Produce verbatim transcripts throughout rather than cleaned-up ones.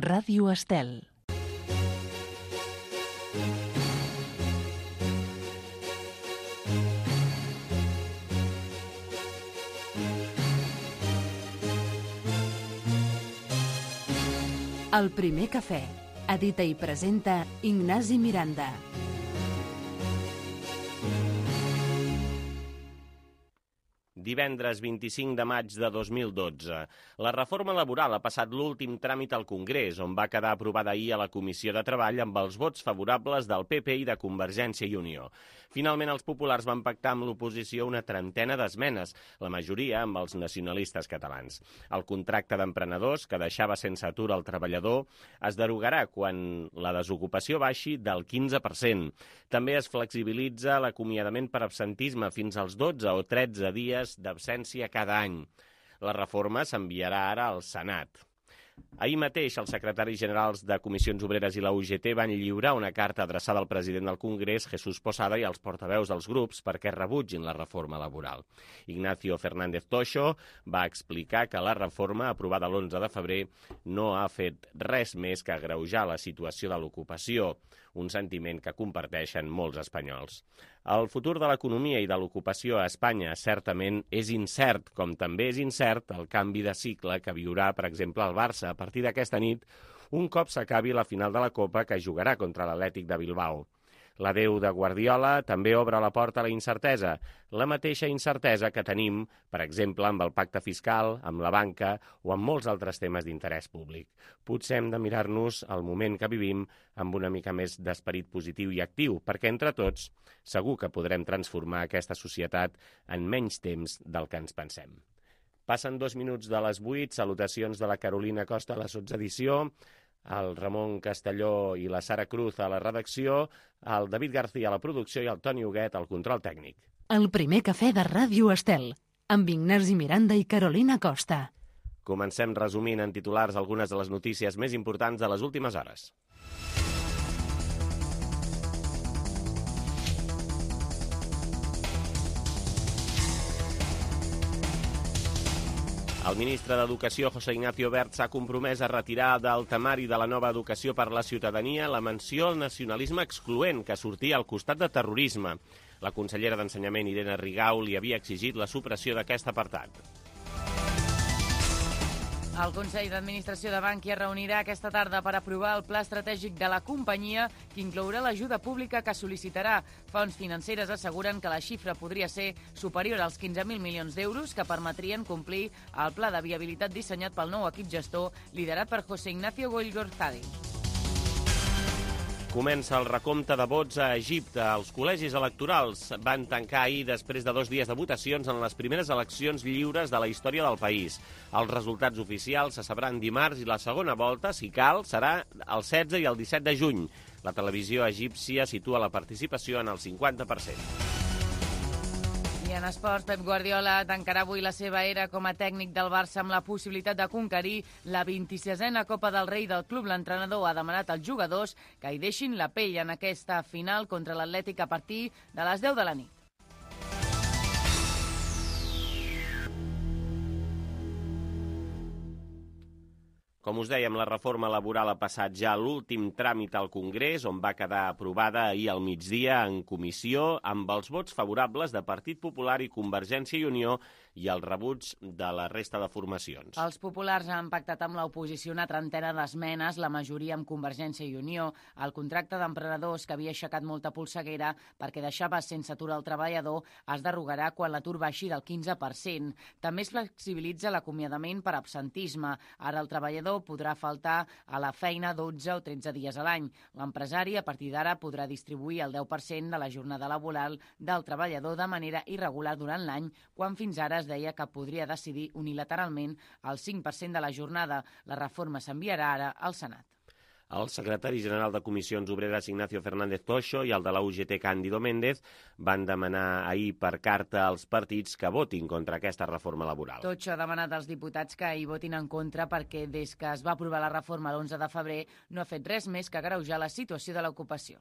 Ràdio Estel. El primer cafè. Edita i presenta Ignasi Miranda. Divendres vint-i-cinc de maig de dos mil dotze. La reforma laboral ha passat l'últim tràmit al Congrés, on va quedar aprovada ahir a la Comissió de Treball amb els vots favorables del P P i de Convergència i Unió. Finalment, els populars van pactar amb l'oposició una trentena d'esmenes, la majoria amb els nacionalistes catalans. El contracte d'emprenedors, que deixava sense atur el treballador, es derogarà quan la desocupació baixi del quinze per cent. També es flexibilitza l'acomiadament per absentisme fins als dotze o tretze dies d'absència cada any. La reforma s'enviarà ara al Senat. Ahir mateix, els secretaris generals de Comissions Obreres i la U G T van lliurar una carta adreçada al president del Congrés, Jesús Posada, i als portaveus dels grups perquè rebutgin la reforma laboral. Ignacio Fernández Toixo va explicar que la reforma, aprovada l'onze de febrer, no ha fet res més que agreujar la situació de l'ocupació, un sentiment que comparteixen molts espanyols. El futur de l'economia i de l'ocupació a Espanya certament és incert, com també és incert el canvi de cicle que viurà, per exemple, el Barça a partir d'aquesta nit, un cop s'acabi la final de la Copa que jugarà contra l'Atlètic de Bilbao. L'adeu de Guardiola també obre la porta a la incertesa, la mateixa incertesa que tenim, per exemple, amb el pacte fiscal, amb la banca o amb molts altres temes d'interès públic. Potser hem de mirar-nos el moment que vivim amb una mica més d'esperit positiu i actiu, perquè entre tots segur que podrem transformar aquesta societat en menys temps del que ens pensem. Passen dos minuts de les vuit, salutacions de la Carolina Costa a la sotsedició, el Ramon Castelló i la Sara Cruz a la redacció, el David García a la producció i el Toni Huguet al control tècnic. El primer cafè de Ràdio Estel, amb Ignasi Miranda i Carolina Costa. Comencem resumint en titulars algunes de les notícies més importants de les últimes hores. El ministre d'Educació, José Ignacio Wert, s'ha compromès a retirar del temari de la nova educació per la ciutadania la menció al nacionalisme excloent que sortia al costat de terrorisme. La consellera d'Ensenyament, Irene Rigau, li havia exigit la supressió d'aquest apartat. El Consell d'Administració de Bankia reunirà aquesta tarda per aprovar el pla estratègic de la companyia, que inclourà l'ajuda pública que sol·licitarà. Fonts financeres asseguren que la xifra podria ser superior als quinze mil milions d'euros que permetrien complir el pla de viabilitat dissenyat pel nou equip gestor liderat per José Ignacio Goygorzadeh. Comença el recompte de vots a Egipte. Els col·legis electorals van tancar ahir després de dos dies de votacions en les primeres eleccions lliures de la història del país. Els resultats oficials se sabran dimarts i la segona volta, si cal, serà el setze i el disset de juny. La televisió egípcia situa la participació en el cinquanta per cent. I en esports, Pep Guardiola tancarà avui la seva era com a tècnic del Barça amb la possibilitat de conquerir la vint-i-sisena Copa del Rei del club. L'entrenador ha demanat als jugadors que hi deixin la pell en aquesta final contra l'Atlètic a partir de les deu de la nit. Com us dèiem, la reforma laboral ha passat ja l'últim tràmit al Congrés, on va quedar aprovada ahir al migdia en comissió amb els vots favorables de Partit Popular i Convergència i Unió i el rebuig de la resta de formacions. Els populars han pactat amb l'oposició una trentena d'esmenes, la majoria amb Convergència i Unió. El contracte d'emprenedors, que havia aixecat molta polseguera perquè deixava sense atur el treballador, es derogarà quan l'atur baixi del quinze per cent. També es flexibilitza l'acomiadament per absentisme. Ara el treballador podrà faltar a la feina dotze o tretze dies a l'any. L'empresari, a partir d'ara, podrà distribuir el deu per cent de la jornada laboral del treballador de manera irregular durant l'any, quan fins ara es deia que podria decidir unilateralment el cinc per cent de la jornada. La reforma s'enviarà ara al Senat. El secretari general de Comissions Obreres, Ignacio Fernández Toixo, i el de la U G T, Cándido Méndez, van demanar ahir per carta als partits que votin contra aquesta reforma laboral. Toixo ha demanat als diputats que hi votin en contra perquè des que es va aprovar la reforma l'onze de febrer no ha fet res més que agreujar la situació de l'ocupació.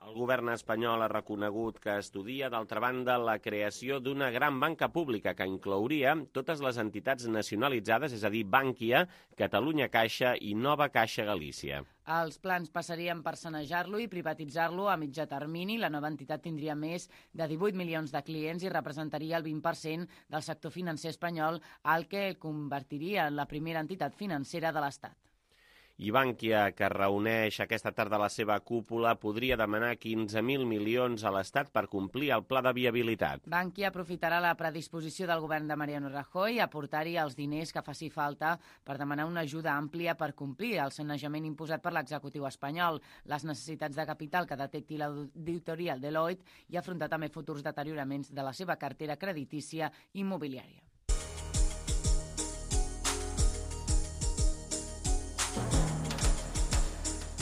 El govern espanyol ha reconegut que estudia, d'altra banda, la creació d'una gran banca pública que inclouria totes les entitats nacionalitzades, és a dir, Bankia, Catalunya Caixa i Nova Caixa Galícia. Els plans passarien per sanejar-lo i privatitzar-lo a mitjà termini. La nova entitat tindria més de divuit milions de clients i representaria el vint per cent del sector financer espanyol, el que el convertiria en la primera entitat financera de l'Estat. I Bankia, que reuneix aquesta tarda la seva cúpula, podria demanar quinze mil milions a l'Estat per complir el pla de viabilitat. Bankia aprofitarà la predisposició del govern de Mariano Rajoy a aportar-hi els diners que faci falta per demanar una ajuda àmplia per complir el sanejament imposat per l'executiu espanyol, les necessitats de capital que detecti l'auditoria Deloitte i afrontar també futurs deterioraments de la seva cartera creditícia immobiliària.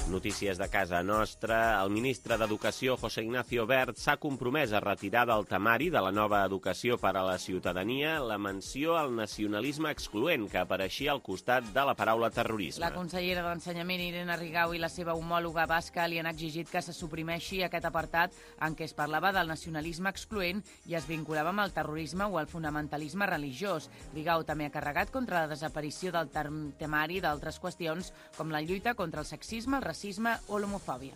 Notícies de casa nostra. El ministre d'Educació, José Ignacio Wert, s'ha compromès a retirar del temari de la nova educació per a la ciutadania la menció al nacionalisme excloent que apareixia al costat de la paraula terrorisme. La consellera d'Ensenyament, Irene Rigau, i la seva homòloga basca li han exigit que se suprimeixi aquest apartat en què es parlava del nacionalisme excloent i es vinculava amb el terrorisme o el fonamentalisme religiós. Rigau també ha carregat contra la desaparició del temari d'altres qüestions com la lluita contra el sexisme, el racisme o l'homofòbia.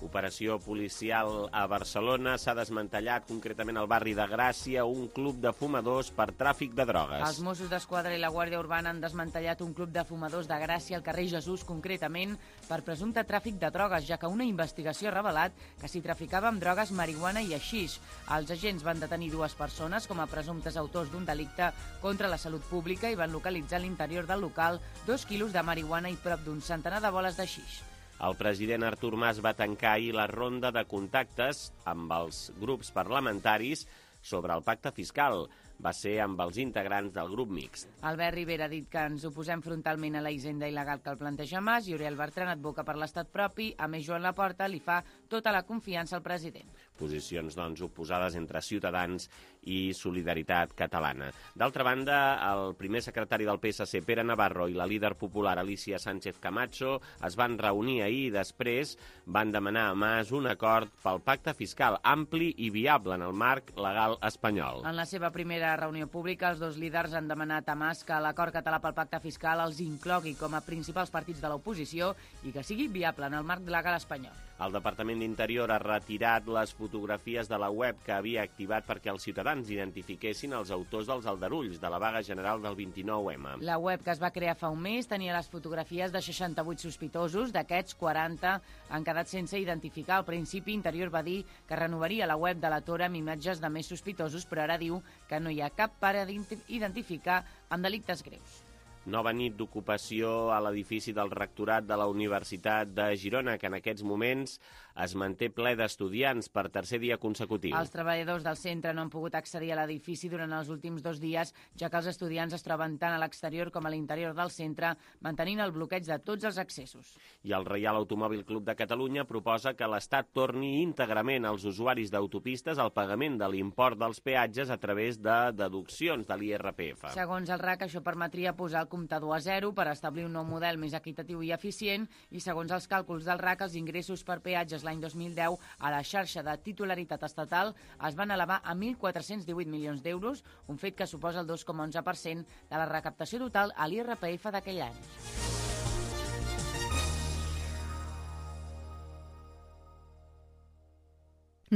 Operació policial a Barcelona. S'ha desmantellat concretament al barri de Gràcia un club de fumadors per tràfic de drogues. Els Mossos d'Esquadra i la Guàrdia Urbana han desmantellat un club de fumadors de Gràcia al carrer Jesús, concretament per presumpte tràfic de drogues, ja que una investigació ha revelat que s'hi traficava amb drogues, marihuana i haixix. Els agents van detenir dues persones com a presumptes autors d'un delicte contra la salut pública i van localitzar a l'interior del local dos quilos de marihuana i prop d'un centenar de boles d'haixix. El president Artur Mas va tancar ahir la ronda de contactes amb els grups parlamentaris sobre el pacte fiscal. Va ser amb els integrants del grup mixt. Albert Rivera ha dit que ens oposem frontalment a la hisenda il·legal que el planteja Mas i Oriol Bertran advoca per l'estat propi. A més, Joan Laporta li fa tota la confiança al president. Posicions, doncs, oposades entre Ciutadans i Solidaritat Catalana. D'altra banda, el primer secretari del P S C, Pere Navarro, i la líder popular Alicia Sánchez Camacho es van reunir ahir i després van demanar a Mas un acord pel pacte fiscal ampli i viable en el marc legal espanyol. En la seva primera reunió pública, els dos líders han demanat a Mas que l'acord català pel pacte fiscal els inclogui com a principals partits de l'oposició i que sigui viable en el marc legal espanyol. El Departament d'Interior ha retirat les fotografies de la web que havia activat perquè els ciutadans identifiquessin els autors dels aldarulls de la vaga general del vint-i-nou eme. La web, que es va crear fa un mes, tenia les fotografies de seixanta-vuit sospitosos. D'aquests, quaranta han quedat sense identificar. Al principi, Interior va dir que renovaria la web de la Tora amb imatges de més sospitosos, però ara diu que no hi ha cap pare d'identificar amb delictes greus. Nova nit d'ocupació a l'edifici del rectorat de la Universitat de Girona, que en aquests moments es manté ple d'estudiants per tercer dia consecutiu. Els treballadors del centre no han pogut accedir a l'edifici durant els últims dos dies, ja que els estudiants es troben tant a l'exterior com a l'interior del centre, mantenint el bloqueig de tots els accessos. I el Reial Automòbil Club de Catalunya proposa que l'Estat torni íntegrament als usuaris d'autopistes al pagament de l'import dels peatges a través de deduccions de l'I R P F. Segons el R A C, això permetria posar el comptador a zero per establir un nou model més equitatiu i eficient i, segons els càlculs del R A C, els ingressos per peatges l'any dos mil deu a la xarxa de titularitat estatal es van elevar a mil quatre-cents divuit milions d'euros, un fet que suposa el dos coma onze per cent de la recaptació total a l'I R P F d'aquell any.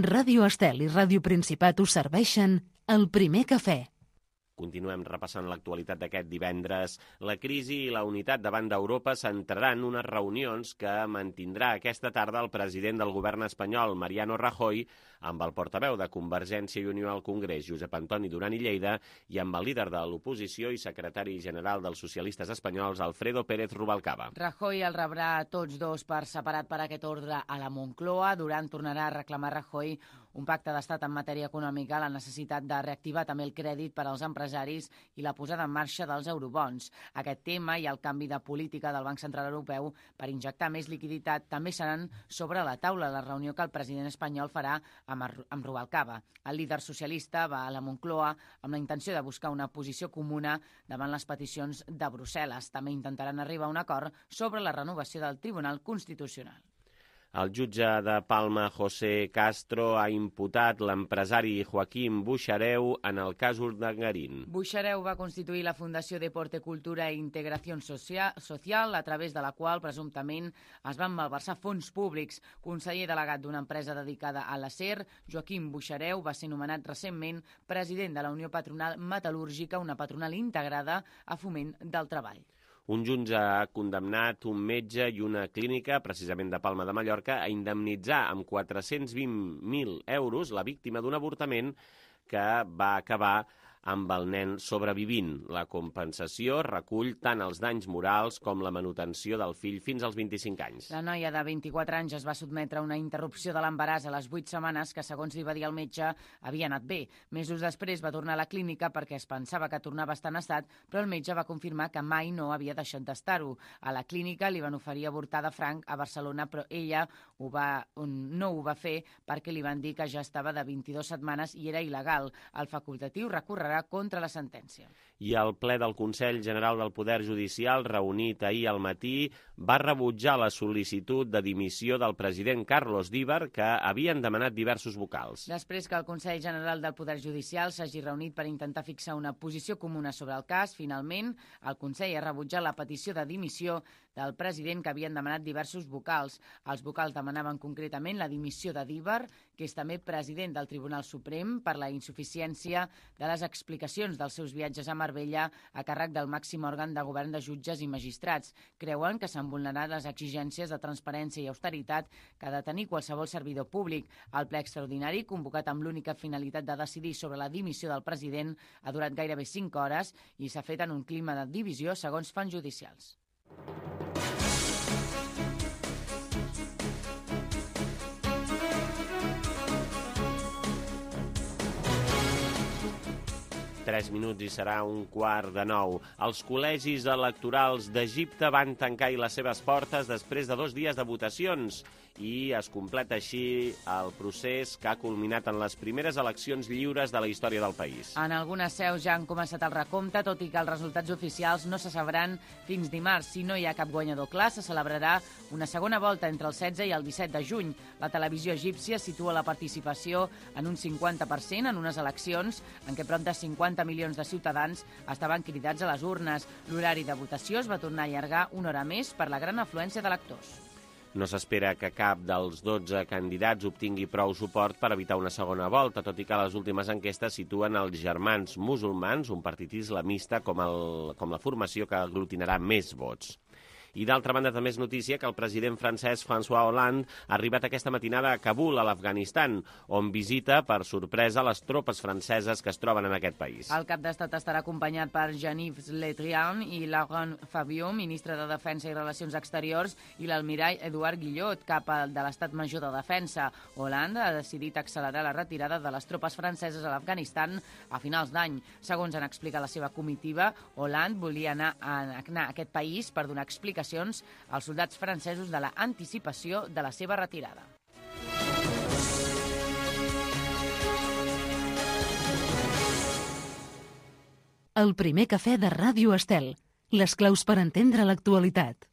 Ràdio Estel i Ràdio Principat us serveixen el primer cafè. Continuem repassant l'actualitat d'aquest divendres. La crisi i la unitat davant d'Europa centraran unes reunions que mantindrà aquesta tarda el president del govern espanyol, Mariano Rajoy, amb el portaveu de Convergència i Unió al Congrés, Josep Antoni Duran i Lleida, i amb el líder de l'oposició i secretari general dels socialistes espanyols, Alfredo Pérez Rubalcaba. Rajoy el rebrà a tots dos per separat per aquest ordre a la Moncloa. Duran tornarà a reclamar a Rajoy un pacte d'estat en matèria econòmica, la necessitat de reactivar també el crèdit per als empresaris i la posada en marxa dels eurobons. Aquest tema i el canvi de política del Banc Central Europeu per injectar més liquiditat també seran sobre la taula de la reunió que el president espanyol farà amb, amb Rubalcaba. El líder socialista va a la Moncloa amb la intenció de buscar una posició comuna davant les peticions de Brussel·les. També intentaran arribar a un acord sobre la renovació del Tribunal Constitucional. El jutge de Palma, José Castro, ha imputat l'empresari Joaquim Buxareu en el cas Urdangarín. Buxareu va constituir la Fundació Deporte, Cultura e Integració Social, a través de la qual, presumptament, es van malversar fons públics. Conseller delegat d'una empresa dedicada a l'acer, Joaquim Buxareu va ser nomenat recentment president de la Unió Patronal Metal·lúrgica, una patronal integrada a Foment del Treball. Un jutge ha condemnat un metge i una clínica, precisament de Palma de Mallorca, a indemnitzar amb quatre-cents vint mil euros la víctima d'un avortament que va acabar amb el nen sobrevivint. La compensació recull tant els danys morals com la manutenció del fill fins als vint-i-cinc anys. La noia de vint-i-quatre anys es va sotmetre a una interrupció de l'embaràs a les vuit setmanes que, segons li va dir el metge, havia anat bé. Mesos després va tornar a la clínica perquè es pensava que tornava a estar en estat, però el metge va confirmar que mai no havia deixat d'estar-ho. A la clínica li van oferir avortar de franc a Barcelona, però ella ho va, no ho va fer perquè li van dir que ja estava de vint-i-dues setmanes i era il·legal. El facultatiu recorrerà contra la sentència. I el ple del Consell General del Poder Judicial, reunit ahir al matí, va rebutjar la sol·licitud de dimissió del president Carlos Díbar, que havien demanat diversos vocals. Després que el Consell General del Poder Judicial s'hagi reunit per intentar fixar una posició comuna sobre el cas, finalment, el Consell ha rebutjat la petició de dimissió del president que havien demanat diversos vocals. Els vocals demanaven concretament la dimissió de Díbar, que és també president del Tribunal Suprem, per la insuficiència de les explicacions dels seus viatges a Marbella a càrrec del màxim òrgan de govern de jutges i magistrats. Creuen que s'han vulnerat les exigències de transparència i austeritat que ha de tenir qualsevol servidor públic. El ple extraordinari, convocat amb l'única finalitat de decidir sobre la dimissió del president, ha durat gairebé cinc hores i s'ha fet en un clima de divisió, segons fonts judicials. Tres minuts i serà un quart de nou. Els col·legis electorals d'Egipte van tancar les seves portes després de dos dies de votacions i es completa així el procés que ha culminat en les primeres eleccions lliures de la història del país. En algunes seus ja han començat el recompte, tot i que els resultats oficials no se sabran fins dimarts. Si no hi ha cap guanyador clar, se celebrarà una segona volta entre el setze i el disset de juny. La televisió egípcia situa la participació en un cinquanta per cent en unes eleccions en què prop de cinquanta milions de ciutadans estaven cridats a les urnes. L'horari de votació es va tornar a allargar una hora més per la gran afluència d'electors. No s'espera que cap dels dotze candidats obtingui prou suport per evitar una segona volta, tot i que les últimes enquestes situen els Germans Musulmans, un partit islamista, com, el, com la formació que aglutinarà més vots. I d'altra banda també és notícia que el president francès François Hollande ha arribat aquesta matinada a Kabul, a l'Afganistan, on visita per sorpresa les tropes franceses que es troben en aquest país. El cap d'estat estarà acompanyat per Jean-Yves Le Drian i Laurent Fabius, ministre de Defensa i Relacions Exteriors, i l'almirall Eduard Guillot, cap de l'Estat Major de Defensa. Hollande ha decidit accelerar la retirada de les tropes franceses a l'Afganistan a finals d'any. Segons han explicat la seva comitiva, Hollande volia anar a, anar a aquest país per donar explicacions als soldats francesos de la anticipació de la seva retirada. El primer cafè de Ràdio Estel. Les claus per entendre l'actualitat.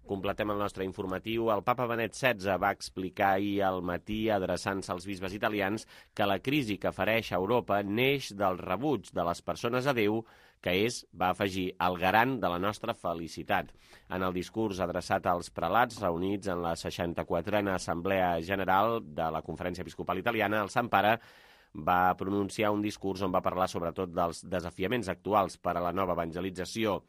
Completem el nostre informatiu. El papa Benet setze va explicar ahir al matí, adreçant-se als bisbes italians, que la crisi que fereix a Europa neix del rebuig de les persones a Déu, que és, va afegir, el garant de la nostra felicitat. En el discurs adreçat als prelats reunits en la seixanta-quatrena Assemblea General de la Conferència Episcopal Italiana, el Sant Pare va pronunciar un discurs on va parlar sobretot dels desafiaments actuals per a la nova evangelització,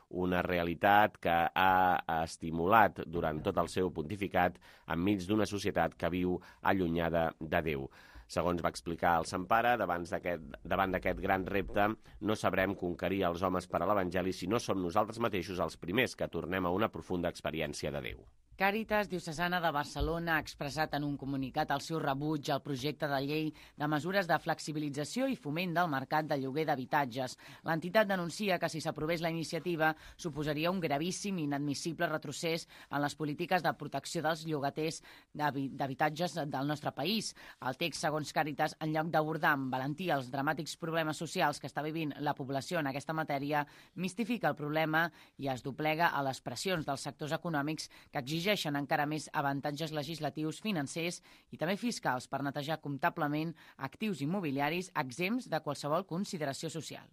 una realitat que ha estimulat durant tot el seu pontificat enmig d'una societat que viu allunyada de Déu. Segons va explicar el Sant Pare, davant d'aquest gran repte, no sabrem conquerir els homes per a l'Evangeli si no som nosaltres mateixos els primers que tornem a una profunda experiència de Déu. Càritas Diocesana de Barcelona ha expressat en un comunicat el seu rebuig al projecte de llei de mesures de flexibilització i foment del mercat de lloguer d'habitatges. L'entitat denuncia que si s'aprovés la iniciativa suposaria un gravíssim i inadmissible retrocés en les polítiques de protecció dels llogaters d'habitatges del nostre país. El text, segons Càritas, en lloc d'abordar amb valentia els dramàtics problemes socials que està vivint la població en aquesta matèria, mistifica el problema i es doblega a les pressions dels sectors econòmics que exigeixen exigeixen encara més avantatges legislatius, financers i també fiscals per netejar comptablement actius immobiliaris exempts de qualsevol consideració social.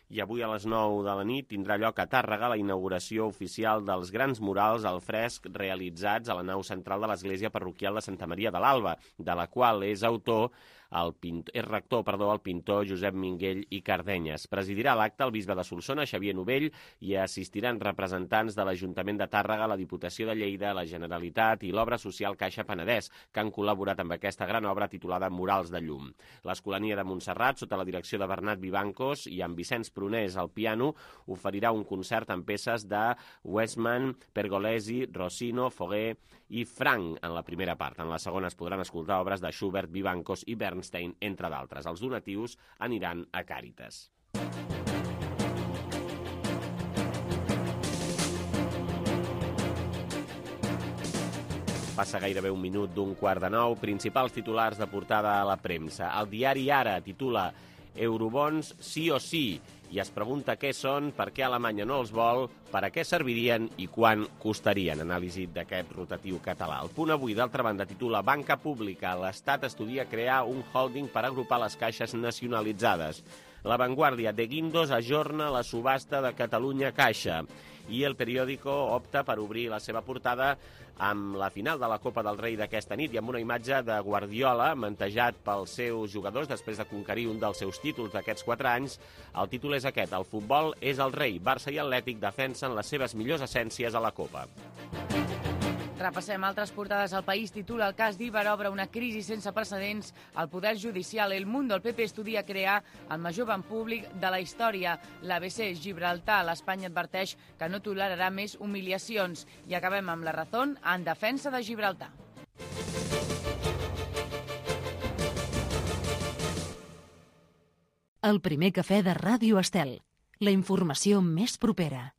I avui a les nou de la nit tindrà lloc a Tàrrega la inauguració oficial dels grans murals al fresc realitzats a la nau central de l'església parroquial de Santa Maria de l'Alba, de la qual és autor el pintor, és rector, perdó, el pintor Josep Minguell i Cardenyes. Presidirà l'acte el bisbe de Solsona, Xavier Novell, i assistiran representants de l'Ajuntament de Tàrrega, la Diputació de Lleida, la Generalitat i l'Obra Social Caixa Penedès, que han col·laborat amb aquesta gran obra titulada Murals de Llum. L'Escolania de Montserrat, sota la direcció de Bernat Vivancos i amb Vicenç Prunés al piano, oferirà un concert amb peces de Westman, Pergolesi, Rossino, Foguer i Frank en la primera part. En la segona es podran escoltar obres de Schubert, Vivancos i Bernstein, entre d'altres. Els donatius aniran a Càritas. Passa gairebé un minut d'un quart de nou. Principals titulars de portada a la premsa. El diari Ara titula Eurobons sí o sí i es pregunta què són, per què Alemanya no els vol, per a què servirien i quan costarien. Anàlisi d'aquest rotatiu català. El Punt Avui, d'altra banda, titula Banca Pública. L'Estat estudia crear un holding per agrupar les caixes nacionalitzades. La Vanguardia, de Guindos ajorna la subhasta de Catalunya Caixa. I El Periódico opta per obrir la seva portada amb la final de la Copa del Rei d'aquesta nit i amb una imatge de Guardiola mantejat pels seus jugadors després de conquerir un dels seus títols d'aquests quatre anys. El títol és aquest: el futbol és el rei. Barça i Atlètic defensen les seves millors essències a la Copa. Repassem altres portades. El País titula El cas d'Iber obre una crisi sense precedents al Poder Judicial. El Mundo, el P P estudia crear el major banc públic de la història. L'A B C, Gibraltar, l'Espanya adverteix que no tolerarà més humiliacions. I acabem amb La Razón en defensa de Gibraltar. El primer cafè de Ràdio Estel. La informació més propera.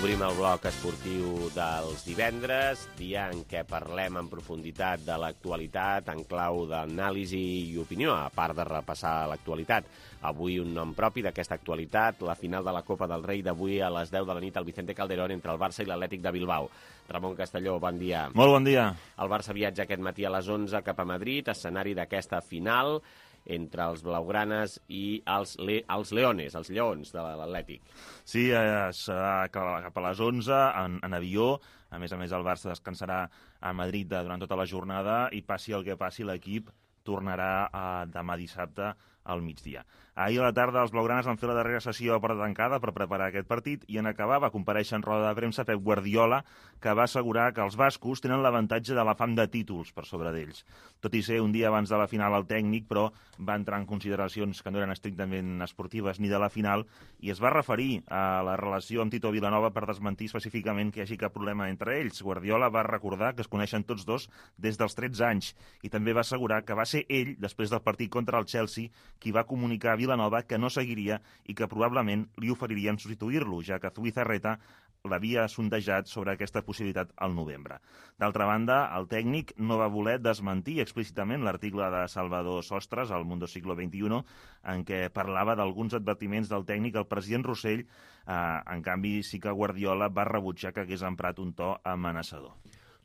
Obrim el bloc esportiu dels divendres, dia en què parlem en profunditat de l'actualitat en clau d'anàlisi i opinió, a part de repassar l'actualitat. Avui un nom propi d'aquesta actualitat, la final de la Copa del Rei d'avui a les deu de la nit al Vicente Calderón entre el Barça i l'Atlètic de Bilbao. Ramon Castelló, bon dia. Molt bon dia. El Barça viatja aquest matí a les onze cap a Madrid, escenari d'aquesta final entre els blaugranes i els, le els leones, els lleons de l'Atlètic. Sí, eh, serà cap a les onze en, en avió. A més a més, el Barça descansarà a Madrid durant tota la jornada i passi el que passi, l'equip tornarà eh, demà dissabte al migdia. Ahir a la tarda els blaugranes van fer la darrera sessió a porta tancada per preparar aquest partit i en acabar va comparèixer en roda de premsa Pep Guardiola, que va assegurar que els bascos tenen l'avantatge de la fam de títols per sobre d'ells. Tot i ser un dia abans de la final al tècnic, però va entrar en consideracions que no eren estrictament esportives ni de la final i es va referir a la relació amb Tito Vilanova per desmentir específicament que hi hagi cap problema entre ells. Guardiola va recordar que es coneixen tots dos des dels tretze anys i també va assegurar que va ser ell, després del partit contra el Chelsea, qui va comunicar a Vilanova que no seguiria i que probablement li oferirien substituir-lo, ja que Zubizarreta l'havia sondejat sobre aquesta possibilitat al novembre. D'altra banda, el tècnic no va voler desmentir explícitament l'article de Salvador Sostres al Mundo Siglo veintiuno, en què parlava d'alguns advertiments del tècnic al president Rossell. Eh, en canvi, sí que Guardiola va rebutjar que hagués emprat un to amenaçador.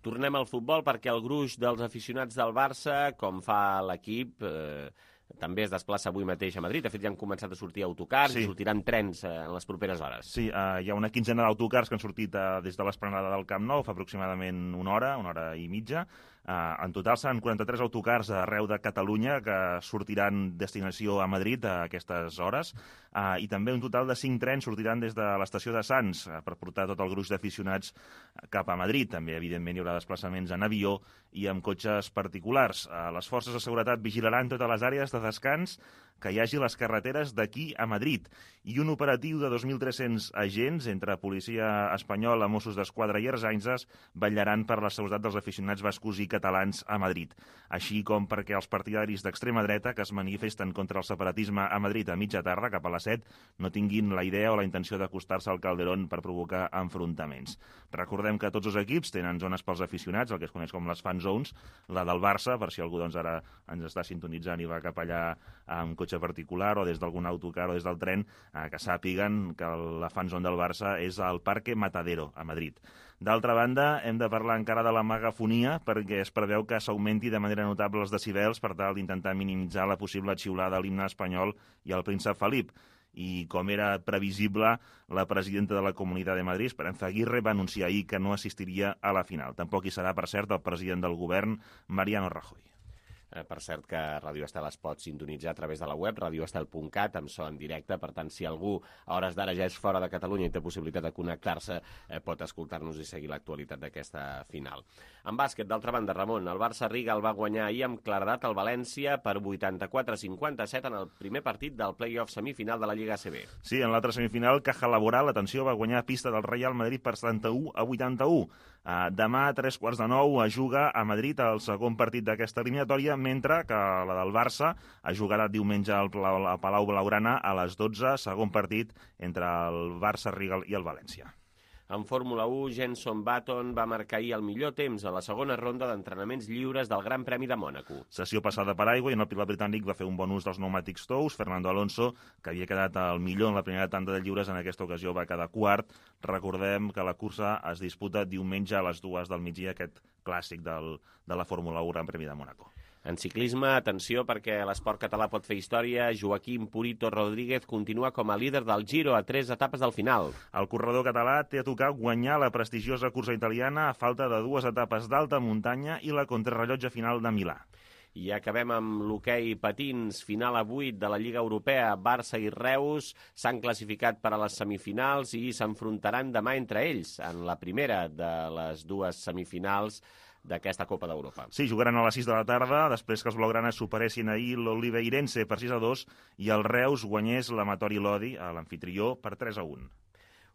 Tornem al futbol perquè el gruix dels aficionats del Barça, com fa l'equip, eh, també es desplaça avui mateix a Madrid. De fet, ja han començat a sortir autocars sí. i sortiran trens eh, en les properes hores. Sí, eh, hi ha una quinzena d'autocars que han sortit eh, des de l'esplanada del Camp Nou fa aproximadament una hora, una hora i mitja. Eh, en total seran quaranta-tres autocars arreu de Catalunya que sortiran destinació a Madrid a aquestes hores eh, i també un total de cinc trens sortiran des de l'estació de Sants eh, per portar tot el gruix d'aficionats cap a Madrid. També, evidentment, hi haurà desplaçaments en avió i amb cotxes particulars. Eh, les forces de seguretat vigilaran totes les àrees de descans que hi hagi a les carreteres d'aquí a Madrid i un operatiu de dos mil tres-cents agents entre policia espanyola, Mossos d'Esquadra i Ertzaintza vetllaran per la seguretat dels aficionats bascos i catalans a Madrid, així com perquè els partidaris d'extrema dreta que es manifesten contra el separatisme a Madrid a mitja tarda, cap a les set, no tinguin la idea o la intenció d'acostar-se al Calderón per provocar enfrontaments. Recordem que tots els equips tenen zones pels aficionats, el que es coneix com les fan zones, la del Barça, per si algú doncs, ara ens està sintonitzant i va cap allà amb cotxe cotxe particular o des d'algun autocar o des del tren, eh, que sàpiguen que la fan zone del Barça és al Parque Matadero, a Madrid. D'altra banda, hem de parlar encara de la megafonia, perquè es preveu que s'augmenti de manera notable els decibels per tal d'intentar minimitzar la possible xiulada a l'himne espanyol i al príncep Felip. I, com era previsible, la presidenta de la Comunitat de Madrid, Esperanza Aguirre, va anunciar ahir que no assistiria a la final. Tampoc hi serà, per cert, el president del govern, Mariano Rajoy. Eh, per cert que Ràdio Estel es pot sintonitzar a través de la web, radioestel punt cat, amb so en directe. Per tant, si algú a hores d'ara ja és fora de Catalunya i té possibilitat de connectar-se, eh, pot escoltar-nos i seguir l'actualitat d'aquesta final. En bàsquet, d'altra banda, Ramon, el Barça Riga el va guanyar ahir amb claredat al València per vuitanta-quatre a cinquanta-set en el primer partit del play-off semifinal de la Lliga A C B. Sí, en l'altra semifinal, Caja Laboral, atenció, va guanyar a pista del Real Madrid per setanta-u a vuitanta-u. Uh, demà, a tres quarts de nou, es juga a Madrid el segon partit d'aquesta eliminatòria, mentre que la del Barça es jugarà diumenge al Palau Blaugrana a les dotze, segon partit entre el Barça Riga i el València. En Fórmula u, Jenson Button va marcar ahir el millor temps a la segona ronda d'entrenaments lliures del Gran Premi de Mònaco. Sessió passada per aigua i en el pilot britànic va fer un bon ús dels pneumàtics tous. Fernando Alonso, que havia quedat el millor en la primera tanda de lliures, en aquesta ocasió va quedar quart. Recordem que la cursa es disputa diumenge a les dues del migdia, aquest clàssic del, de la Fórmula u Gran Premi de Mònaco. En ciclisme, atenció, perquè l'esport català pot fer història. Joaquim Purito Rodríguez continua com a líder del Giro a tres etapes del final. El corredor català té a tocar guanyar la prestigiosa cursa italiana a falta de dues etapes d'alta muntanya i la contrarrellotge final de Milà. I acabem amb l'hoquei patins, final a vuit de la Lliga Europea. Barça i Reus s'han classificat per a les semifinals i s'enfrontaran demà entre ells en la primera de les dues semifinals d'aquesta Copa d'Europa. Sí, jugaran a les sis de la tarda, després que els blaugranes superessin ahir l'Oliveirense per sis a dos i el Reus guanyés l'Amatori Lodi, a l'amfitrió, per tres a un.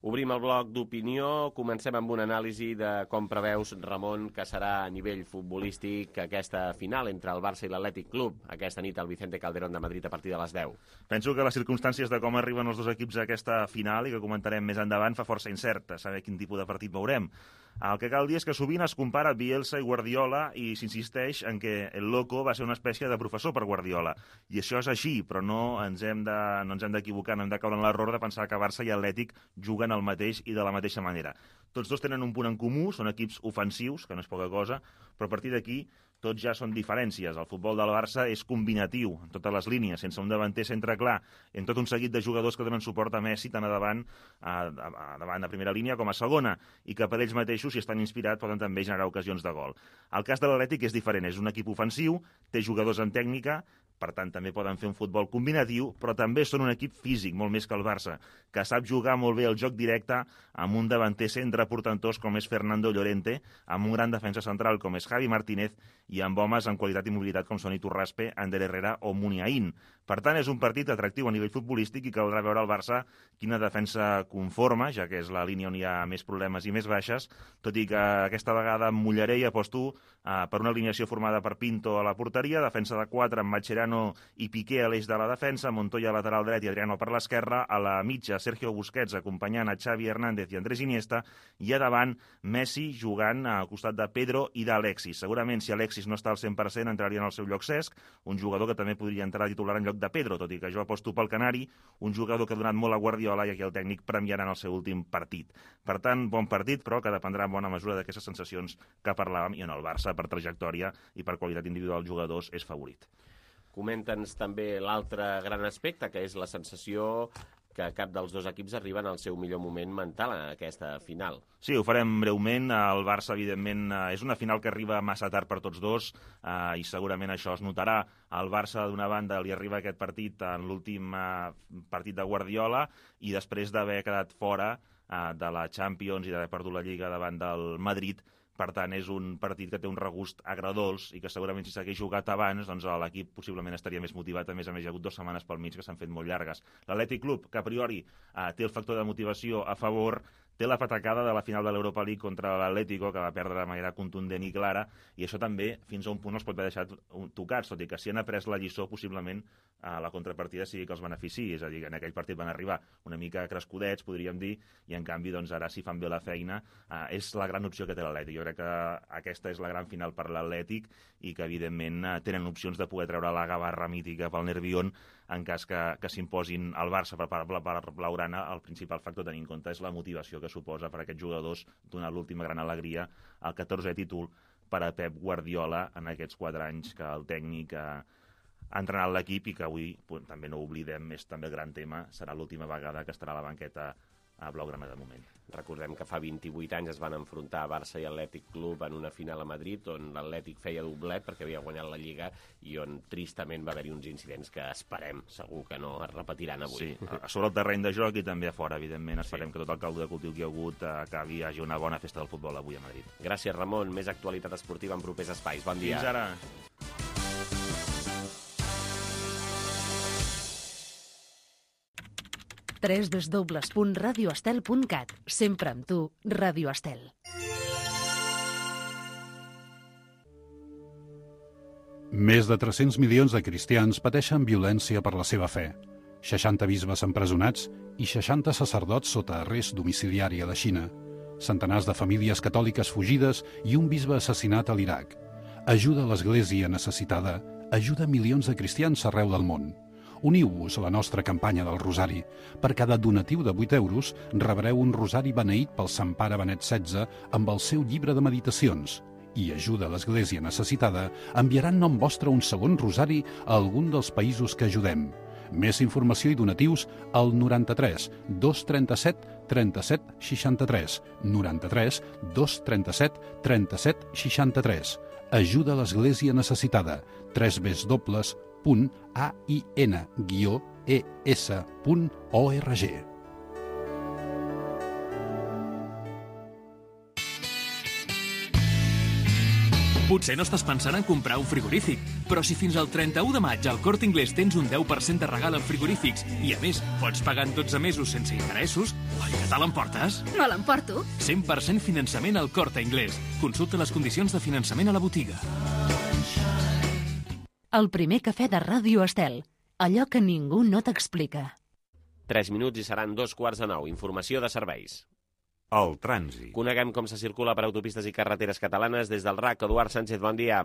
Obrim el bloc d'opinió. Comencem amb una anàlisi de com preveus, Ramon, que serà a nivell futbolístic aquesta final entre el Barça i l'Atlètic Club aquesta nit al Vicente Calderón de Madrid a partir de les deu. Penso que les circumstàncies de com arriben els dos equips a aquesta final i que comentarem més endavant fa força incert saber quin tipus de partit veurem. El que cal dir és que sovint es compara Bielsa i Guardiola i s'insisteix en que el Loco va ser una espècie de professor per Guardiola. I això és així, però no ens hem de, no ens hem d'equivocar, no hem de caure en l'error de pensar que Barça i Atlètic juguen el mateix i de la mateixa manera. Tots dos tenen un punt en comú, són equips ofensius, que no és poca cosa, però a partir d'aquí tots ja són diferències. El futbol del Barça és combinatiu, en totes les línies, sense un davanter centre clar, en tot un seguit de jugadors que donen suport a Messi, tant a davant, a, a, a davant de primera línia com a segona, i que per ells mateixos, si estan inspirats, poden també generar ocasions de gol. El cas de l'Atlètic és diferent, és un equip ofensiu, té jugadors en tècnica, per tant també poden fer un futbol combinatiu, però també són un equip físic, molt més que el Barça, que sap jugar molt bé el joc directe amb un davanter centre portantós com és Fernando Llorente, amb un gran defensa central com és Javi Martínez i amb homes en qualitat i mobilitat com són Iturraspe, Ander Herrera o Muniain. Per tant, és un partit atractiu a nivell futbolístic i caldrà veure al Barça quina defensa conforma, ja que és la línia on hi ha més problemes i més baixes, tot i que aquesta vegada em mullaré i aposto eh, per una alineació formada per Pinto a la porteria, defensa de quatre amb Mascherano i Piqué a l'eix de la defensa, Montoya a lateral dret i Adriano per l'esquerra, a la mitja Sergio Busquets acompanyant a Xavi Hernández i Andrés Iniesta, i a davant Messi jugant al costat de Pedro i d'Alexis. Segurament si Alexis no està al cent per cent entraria en el seu lloc Cesc, un jugador que també podria entrar a titular en lloc de Pedro, tot i que jo aposto pel Canari, un jugador que ha donat molt a Guardiola i aquí el tècnic premiarà en el seu últim partit. Per tant, bon partit, però que dependrà en bona mesura d'aquestes sensacions que parlàvem, i en el Barça, per trajectòria i per qualitat individual dels jugadors, és favorit. Comenta'ns també l'altre gran aspecte, que és la sensació que cap dels dos equips arriben al seu millor moment mental en aquesta final. Sí, ho farem breument. El Barça, evidentment, és una final que arriba massa tard per tots dos eh, i segurament això es notarà. Al Barça, d'una banda, li arriba aquest partit en l'últim eh, partit de Guardiola i després d'haver quedat fora eh, de la Champions i d'haver perdut la Lliga davant del Madrid. Per tant, és un partit que té un regust agredolç i que segurament si s'hagués jugat abans, doncs l'equip possiblement estaria més motivat. A més a més, hi ha hagut dues setmanes pel mig que s'han fet molt llargues. L'Atlètic Club, que a priori eh, té el factor de motivació a favor, té la patacada de la final de l'Europa League contra l'Atlético, que va perdre de manera contundent i clara, i això també, fins a un punt, els pot haver deixat tocats, tot i que si han après la lliçó, possiblement a la contrapartida sigui que els benefici, és a dir, que en aquell partit van arribar una mica crescudets, podríem dir, i en canvi doncs, ara si fan bé la feina, eh, és la gran opció que té l'Atlètic. Jo crec que aquesta és la gran final per l'Atlètic i que evidentment eh, tenen opcions de poder treure la gavarra mítica pel Nervión en cas que, que s'imposin al Barça per, per, per Blaugrana. El principal factor a tenir en compte és la motivació que suposa per a aquests jugadors donar l'última gran alegria al catorzè títol per a Pep Guardiola en aquests quatre anys que el tècnic ha, ha entrenat l'equip i que avui, pues, també no ho oblidem, és també el gran tema, serà l'última vegada que estarà a la banqueta a Blaugrana de moment. Recordem que fa vint-i-vuit anys es van enfrontar Barça i Atlètic Club en una final a Madrid on l'Atlètic feia doblet perquè havia guanyat la Lliga i on tristament va haver-hi uns incidents que esperem, segur que no es repetiran avui. Sí, a sobre el terreny de joc i també a fora, evidentment. Esperem sí. que tot el caldo de cultiu que hi ha hagut acabi, hi hagi una bona festa del futbol avui a Madrid. Gràcies, Ramon. Més actualitat esportiva en propers espais. Bon dia. Fins ara. w w w punt radio estel punt cat. Sempre amb tu, Ràdio Estel. Més de tres-cents milions de cristians pateixen violència per la seva fe. seixanta bisbes empresonats i seixanta sacerdots sota arrest domiciliari a la Xina. Centenars de famílies catòliques fugides i un bisbe assassinat a l'Iraq. Ajuda a l'Església necessitada, ajuda milions de cristians arreu del món. Uniu-vos a la nostra campanya del Rosari. Per cada donatiu de vuit euros rebreu un rosari beneït pel Sant Pare Benet setze amb el seu llibre de meditacions. I ajuda a l'Església necessitada enviarà en nom vostre un segon rosari a algun dels països que ajudem. Més informació i donatius al noranta-tres dos trenta-set trenta-set seixanta-tres. noranta-tres dos trenta-set trenta-set seixanta-tres. Ajuda a l'Església necessitada. tres w punt ain guió es punt org. Potser no estàs pensant en comprar un frigorífic, però si fins al trenta-u de maig al Corte Inglés tens un deu per cent de regal en frigorífics i, a més, pots pagar en dotze mesos sense interessos, oi que te l'emportes? Me l'emporto. cent per cent finançament al Corte Inglés. Consulta les condicions de finançament a la botiga. El primer cafè de Ràdio Estel. Allò que ningú no t'explica. Tres minuts i seran dos quarts de nou. Informació de serveis. El trànsit. Coneguem com se circula per autopistes i carreteres catalanes des del R A C. Eduard Sánchez, bon dia.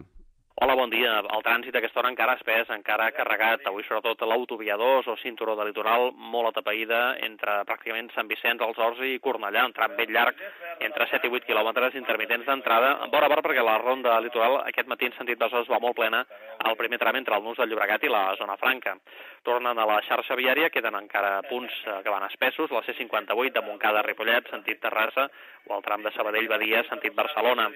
Hola, bon dia. El trànsit a aquesta hora encara espès, encara carregat. Avui sobretot l'autovia dos o cinturó de litoral molt atapeïda entre pràcticament Sant Vicenç, els Horts i Cornellà. Un tram ben llarg entre set i vuit quilòmetres intermitents d'entrada. En bona part perquè la ronda litoral aquest matí en sentit Besòs va molt plena al primer tram entre el Nus del Llobregat i la zona franca. Tornen a la xarxa viària, queden encara punts que van espessos, la C cinquanta-vuit de Montcada a Ripollet, sentit Terrassa, o el tram de Sabadell-Badia, sentit Barcelona.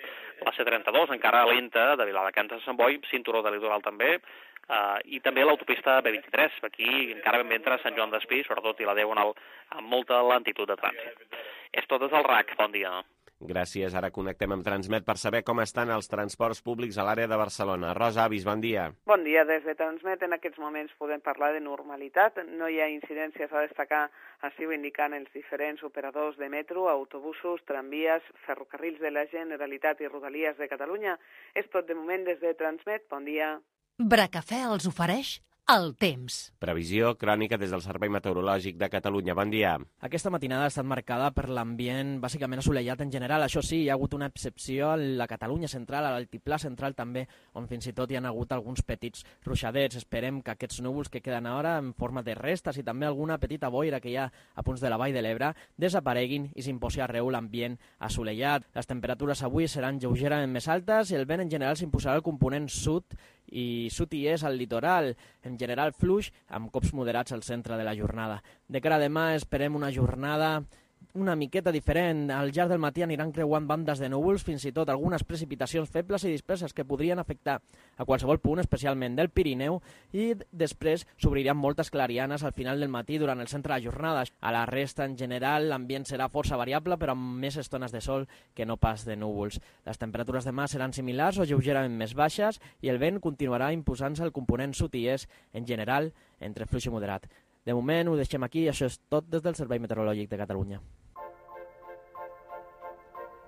La C trenta-dos, encara lenta, de Viladecans a Sant Boi, cinturó de litoral també, uh, i també l'autopista B vint-i-tres, aquí encara ben bé entre Sant Joan d'Espí, sobretot i la Diagonal, amb molta lentitud de trànsit. És tot des del R A C, bon dia. Gràcies. Ara connectem amb Transmet per saber com estan els transports públics a l'àrea de Barcelona. Rosa Avis, bon dia. Bon dia. Des de Transmet en aquests moments podem parlar de normalitat. No hi ha incidències a destacar, així ho indiquen els diferents operadors de metro, autobusos, tramvies, ferrocarrils de la Generalitat i Rodalies de Catalunya. És tot de moment des de Transmet. Bon dia. Bracafè els ofereix el temps. Previsió crònica des del Servei Meteorològic de Catalunya. Bon dia. Aquesta matinada ha estat marcada per l'ambient bàsicament assolellat en general. Això sí, hi ha hagut una excepció a la Catalunya central, a l'altiplà central també, on fins i tot hi ha hagut alguns petits ruixadets. Esperem que aquests núvols que queden ara en forma de restes i també alguna petita boira que hi ha a punts de la Vall de l'Ebre desapareguin i s'imposi arreu l'ambient assolellat. Les temperatures avui seran lleugerament més altes i el vent en general s'imposarà al component sud i sud i és al litoral, en general fluix, amb cops moderats al centre de la jornada. De cara a demà esperem una jornada una miqueta diferent. Al llarg del matí aniran creuant bandes de núvols, fins i tot algunes precipitacions febles i disperses que podrien afectar a qualsevol punt, especialment del Pirineu, i després s'obriran moltes clarianes al final del matí durant el centre de la jornada. A la resta, en general, l'ambient serà força variable, però amb més estones de sol que no pas de núvols. Les temperatures demà seran similars o lleugerament més baixes i el vent continuarà imposant-se al component sud i est, en general, entre fluix i moderat. De moment ho deixem aquí i això és tot des del Servei Meteorològic de Catalunya.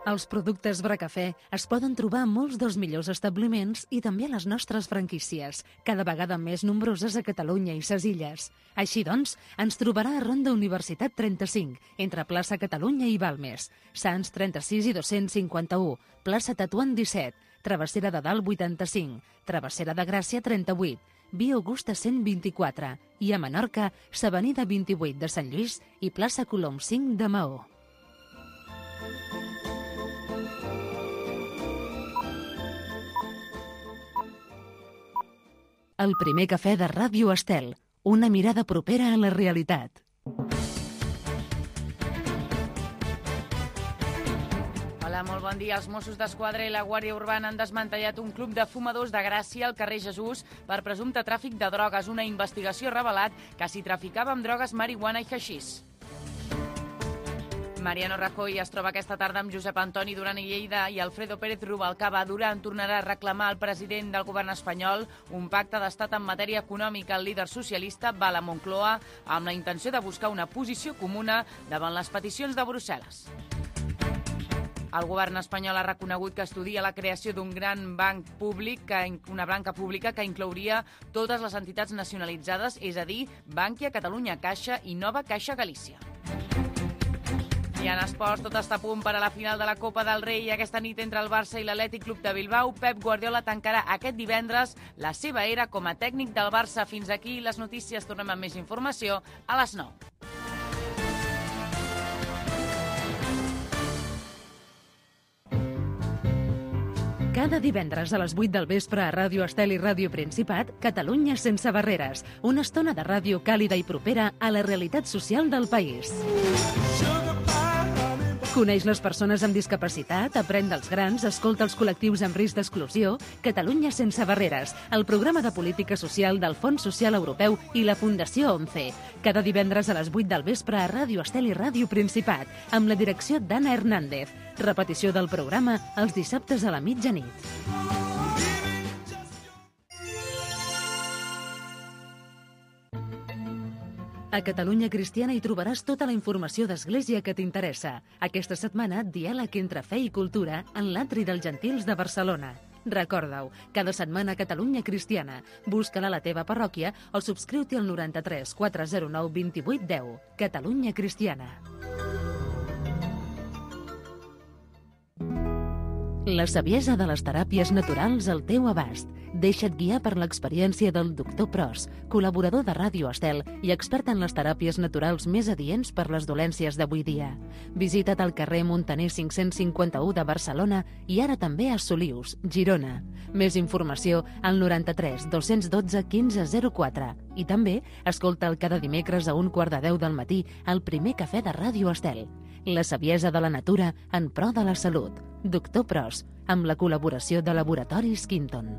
Els productes Bracafè es poden trobar a molts dels millors establiments i també a les nostres franquícies, cada vegada més nombroses a Catalunya i ses Illes. Així doncs, ens trobarà a Ronda Universitat trenta-cinc, entre plaça Catalunya i Balmes, Sants trenta-sis i dos-cents cinquanta-u, plaça Tetuan disset, Travessera de Dalt vuitanta-cinc, Travessera de Gràcia trenta-vuit, Via Augusta cent vint-i-quatre i a Menorca, s'Avenida vint-i-vuit de Sant Lluís i plaça Colom cinc de Maó. El primer cafè de Ràdio Estel, una mirada propera a la realitat. Hola, molt bon dia. Els Mossos d'Esquadra i la Guàrdia Urbana han desmantellat un club de fumadors de Gràcia al carrer Jesús per presumpte tràfic de drogues. Una investigació ha revelat que s'hi traficava amb drogues, marihuana i haixís. Mariano Rajoy es troba aquesta tarda amb Josep Antoni Duran i Lleida i Alfredo Pérez Rubalcaba. Duran tornarà a reclamar al president del govern espanyol un pacte d'estat en matèria econòmica. El líder socialista va a la Moncloa amb la intenció de buscar una posició comuna davant les peticions de Brussel·les. El govern espanyol ha reconegut que estudia la creació d'un gran banc públic, que, una banca pública que inclouria totes les entitats nacionalitzades, és a dir, Bankia, Catalunya Caixa i Nova Caixa Galícia. I en esports, tot està a punt per a la final de la Copa del Rei. Aquesta nit entre el Barça i l'Atlètic Club de Bilbao, Pep Guardiola tancarà aquest divendres la seva era com a tècnic del Barça. Fins aquí les notícies. Tornem amb més informació a les nou. Cada divendres a les vuit del vespre a Ràdio Estel i Ràdio Principat, Catalunya sense barreres. Una estona de ràdio càlida i propera a la realitat social del país. Coneix les persones amb discapacitat, aprèn dels grans, escolta els col·lectius amb risc d'exclusió. Catalunya sense barreres, el programa de política social del Fons Social Europeu i la Fundació ONCE. Cada divendres a les vuit del vespre a Ràdio Estel i Ràdio Principat, amb la direcció d'Anna Hernández. Repetició del programa els dissabtes a la mitjanit. A Catalunya Cristiana hi trobaràs tota la informació d'Església que t'interessa. Aquesta setmana, diàleg entre fe i cultura en l'Atri dels Gentils de Barcelona. Recorda-ho, cada setmana a Catalunya Cristiana. Busca-la a la teva parròquia o subscriu-t'hi al noranta-tres quatre zero nou vint vuit deu. Catalunya Cristiana. La saviesa de les teràpies naturals al teu abast. Deixa't guiar per l'experiència del doctor Pros, col·laborador de Ràdio Estel i expert en les teràpies naturals més adients per les dolències d'avui dia. Visita't al carrer Montaner cinc-cents cinquanta-u de Barcelona i ara també a Solius, Girona. Més informació al noranta-tres dos-cents dotze quinze zero quatre. I també escolta'l cada dimecres a un quart de deu del matí al primer cafè de Ràdio Estel. La saviesa de la natura en pro de la salut. Doctor Pros, amb la col·laboració de Laboratoris Quinton.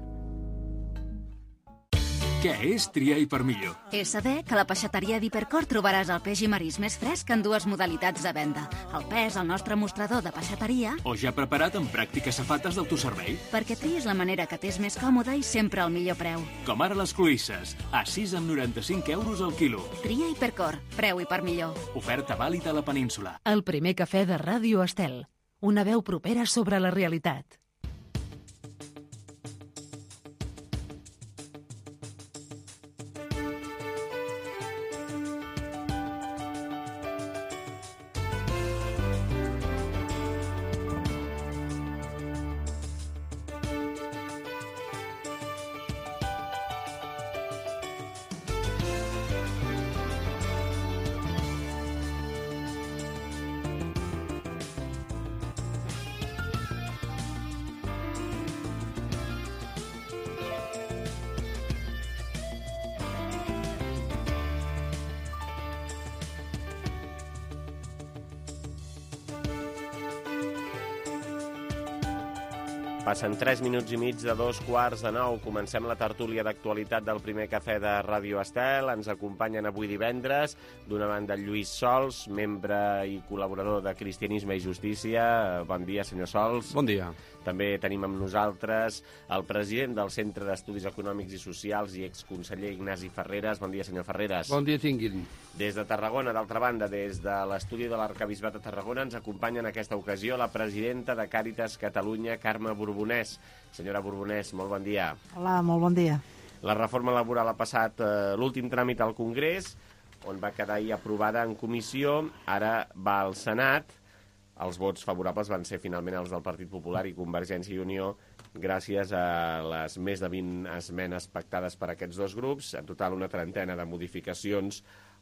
Què és triar i per millor? És saber que a la peixateria d'Hipercor trobaràs el peix i marisc més fresc en dues modalitats de venda. El pes al nostre mostrador de peixateria O ja preparat amb pràctiques safates d'autoservei? perquè triïs la manera que t'és més còmoda i sempre al millor preu. Com ara les cloïsses, a sis amb noranta-cinc euros al quilo. Tria Hipercor, preu i per millor. Oferta vàlida a la península. El primer cafè de Ràdio Estel. Una veu propera sobre la realitat. Passen tres minuts i mig de dos quarts de nou. Comencem la tertúlia d'actualitat del primer cafè de Ràdio Estel. Ens acompanyen avui divendres, d'una banda, Lluís Sols, membre i col·laborador de Cristianisme i Justícia. Bon dia, senyor Sols. Bon dia. També tenim amb nosaltres el president del Centre d'Estudis Econòmics i Socials i exconseller Ignasi Ferreres. Bon dia, senyor Ferreres. Bon dia, tinguin. Des de Tarragona, d'altra banda, des de l'estudi de l'Arquebisbat de Tarragona, ens acompanya en aquesta ocasió la presidenta de Càritas Catalunya, Carme Borbonès. Senyora Borbonès, molt bon dia. Hola, molt bon dia. La reforma laboral ha passat eh, l'últim tràmit al Congrés, on va quedar ahir aprovada en comissió, ara va al Senat. Els vots favorables van ser finalment els del Partit Popular i Convergència i Unió, gràcies a les més de vint esmenes pactades per aquests dos grups, en total una trentena de modificacions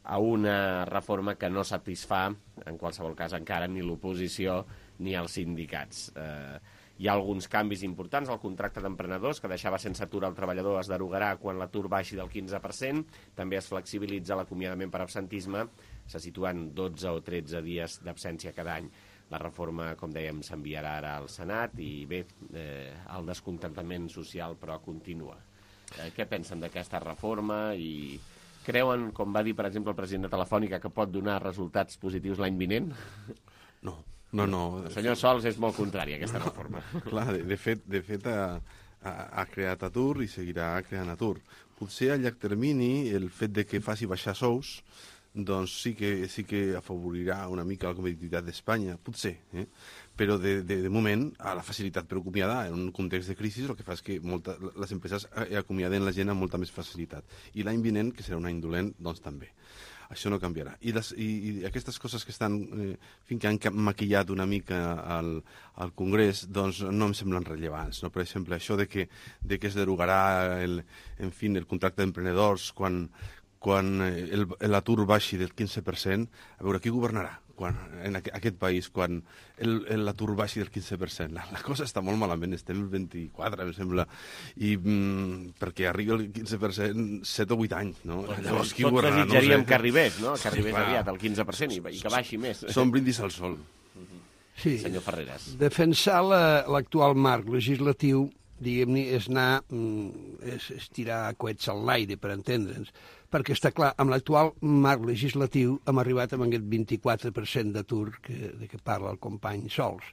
a una reforma que no satisfà, en qualsevol cas encara, ni l'oposició ni els sindicats. Eh, hi ha alguns canvis importants. El contracte d'emprenedors, que deixava sense atur el treballador, es derogarà quan l'atur baixi del quinze per cent. També es flexibilitza l'acomiadament per absentisme, se situen dotze o tretze dies d'absència cada any. La reforma, com dèiem, s'enviarà ara al Senat i, bé, eh, el descontentament social, però, continua. Eh, què pensen d'aquesta reforma i creuen, com va dir, per exemple, el president de Telefònica, que pot donar resultats positius l'any vinent? No, no, no. El senyor Sols és molt contrari a aquesta reforma. Clar, de, de fet, de fet ha, ha, ha creat atur i seguirà creant atur. Potser a llarg termini el fet de que faci baixar sous doncs sí que, sí que afavorirà una mica la competitivitat d'Espanya, potser, eh? Però de, de, de moment, a la facilitat per acomiadar, en un context de crisi, el que fa és que molta, les empreses acomiaden la gent amb molta més facilitat. I l'any vinent, que serà un any dolent, doncs també. Això no canviarà. I, les, i, i aquestes coses que estan, eh, fins que han maquillat una mica al, al Congrés, doncs no em semblen rellevants. No? Per exemple, això de que, de que es derogarà el, en fi, el contracte d'emprenedors quan quan l'atur baixi del quinze per cent, a veure, qui governarà quan, en aquest país quan l'atur baixi del quinze per cent? La, la cosa està molt malament, estem el vint-i-quatre, em sembla, i mm, perquè arribi el quinze per cent, set o vuit anys, no? Doncs llavors, qui governarà? Tots desitjaríem no sé. que arribés, no? Que arribés sí, aviat al quinze per cent i, i que baixi més. Són brindis al sol. Sí. Senyor Ferreres. Defensar l'actual marc legislatiu, diguem-ne, és anar, és, és tirar coets al l'aire, per entendre'ns, perquè està clar, amb l'actual marc legislatiu hem arribat amb aquest vint-i-quatre per cent d'atur que, de què parla el company Sols.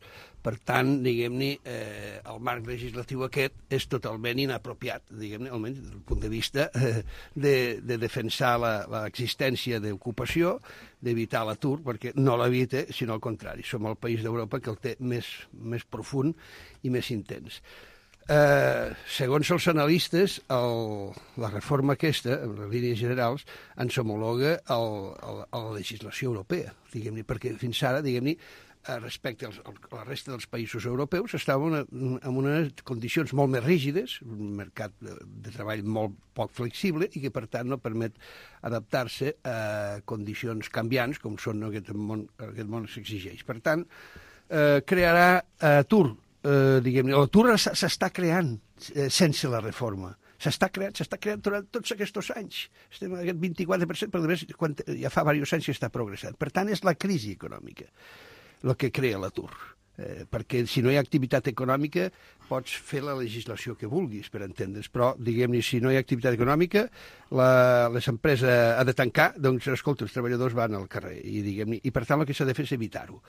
Per tant, diguem-ne, eh, el marc legislatiu aquest és totalment inapropiat, diguem-ne, almenys des del punt de vista eh, de, de defensar l'existència d'ocupació, d'evitar l'atur, perquè no l'evita, sinó al contrari. Som el país d'Europa que el té més, més profund i més intens. Eh, segons els analistes, el, la reforma aquesta, en les línies generals, ens homologa el, el, a la legislació europea, diguem-ne, perquè fins ara, diguem-ne, respecte als, a la resta dels països europeus, estàvem en, en unes condicions molt més rígides, un mercat de, de treball molt poc flexible i que, per tant, no permet adaptar-se a condicions canviants, com són aquest món, aquest món s'exigeix. Per tant, eh, crearà atur. Eh, diguem-ne, l'atur s'està creant eh, sense la reforma. S'està creant, s'està creant durant tots aquests anys. Estem en aquest vint-i-quatre per cent, però a més, quan, ja fa diversos anys que està progressant. Per tant, és la crisi econòmica el que crea l'atur. Eh, perquè si no hi ha activitat econòmica pots fer la legislació que vulguis, per entendre's, però, diguem-ne, si no hi ha activitat econòmica, la, les empreses ha de tancar, doncs, escolta, els treballadors van al carrer, i, diguem-ne, i per tant el que s'ha de fer és evitar-ho.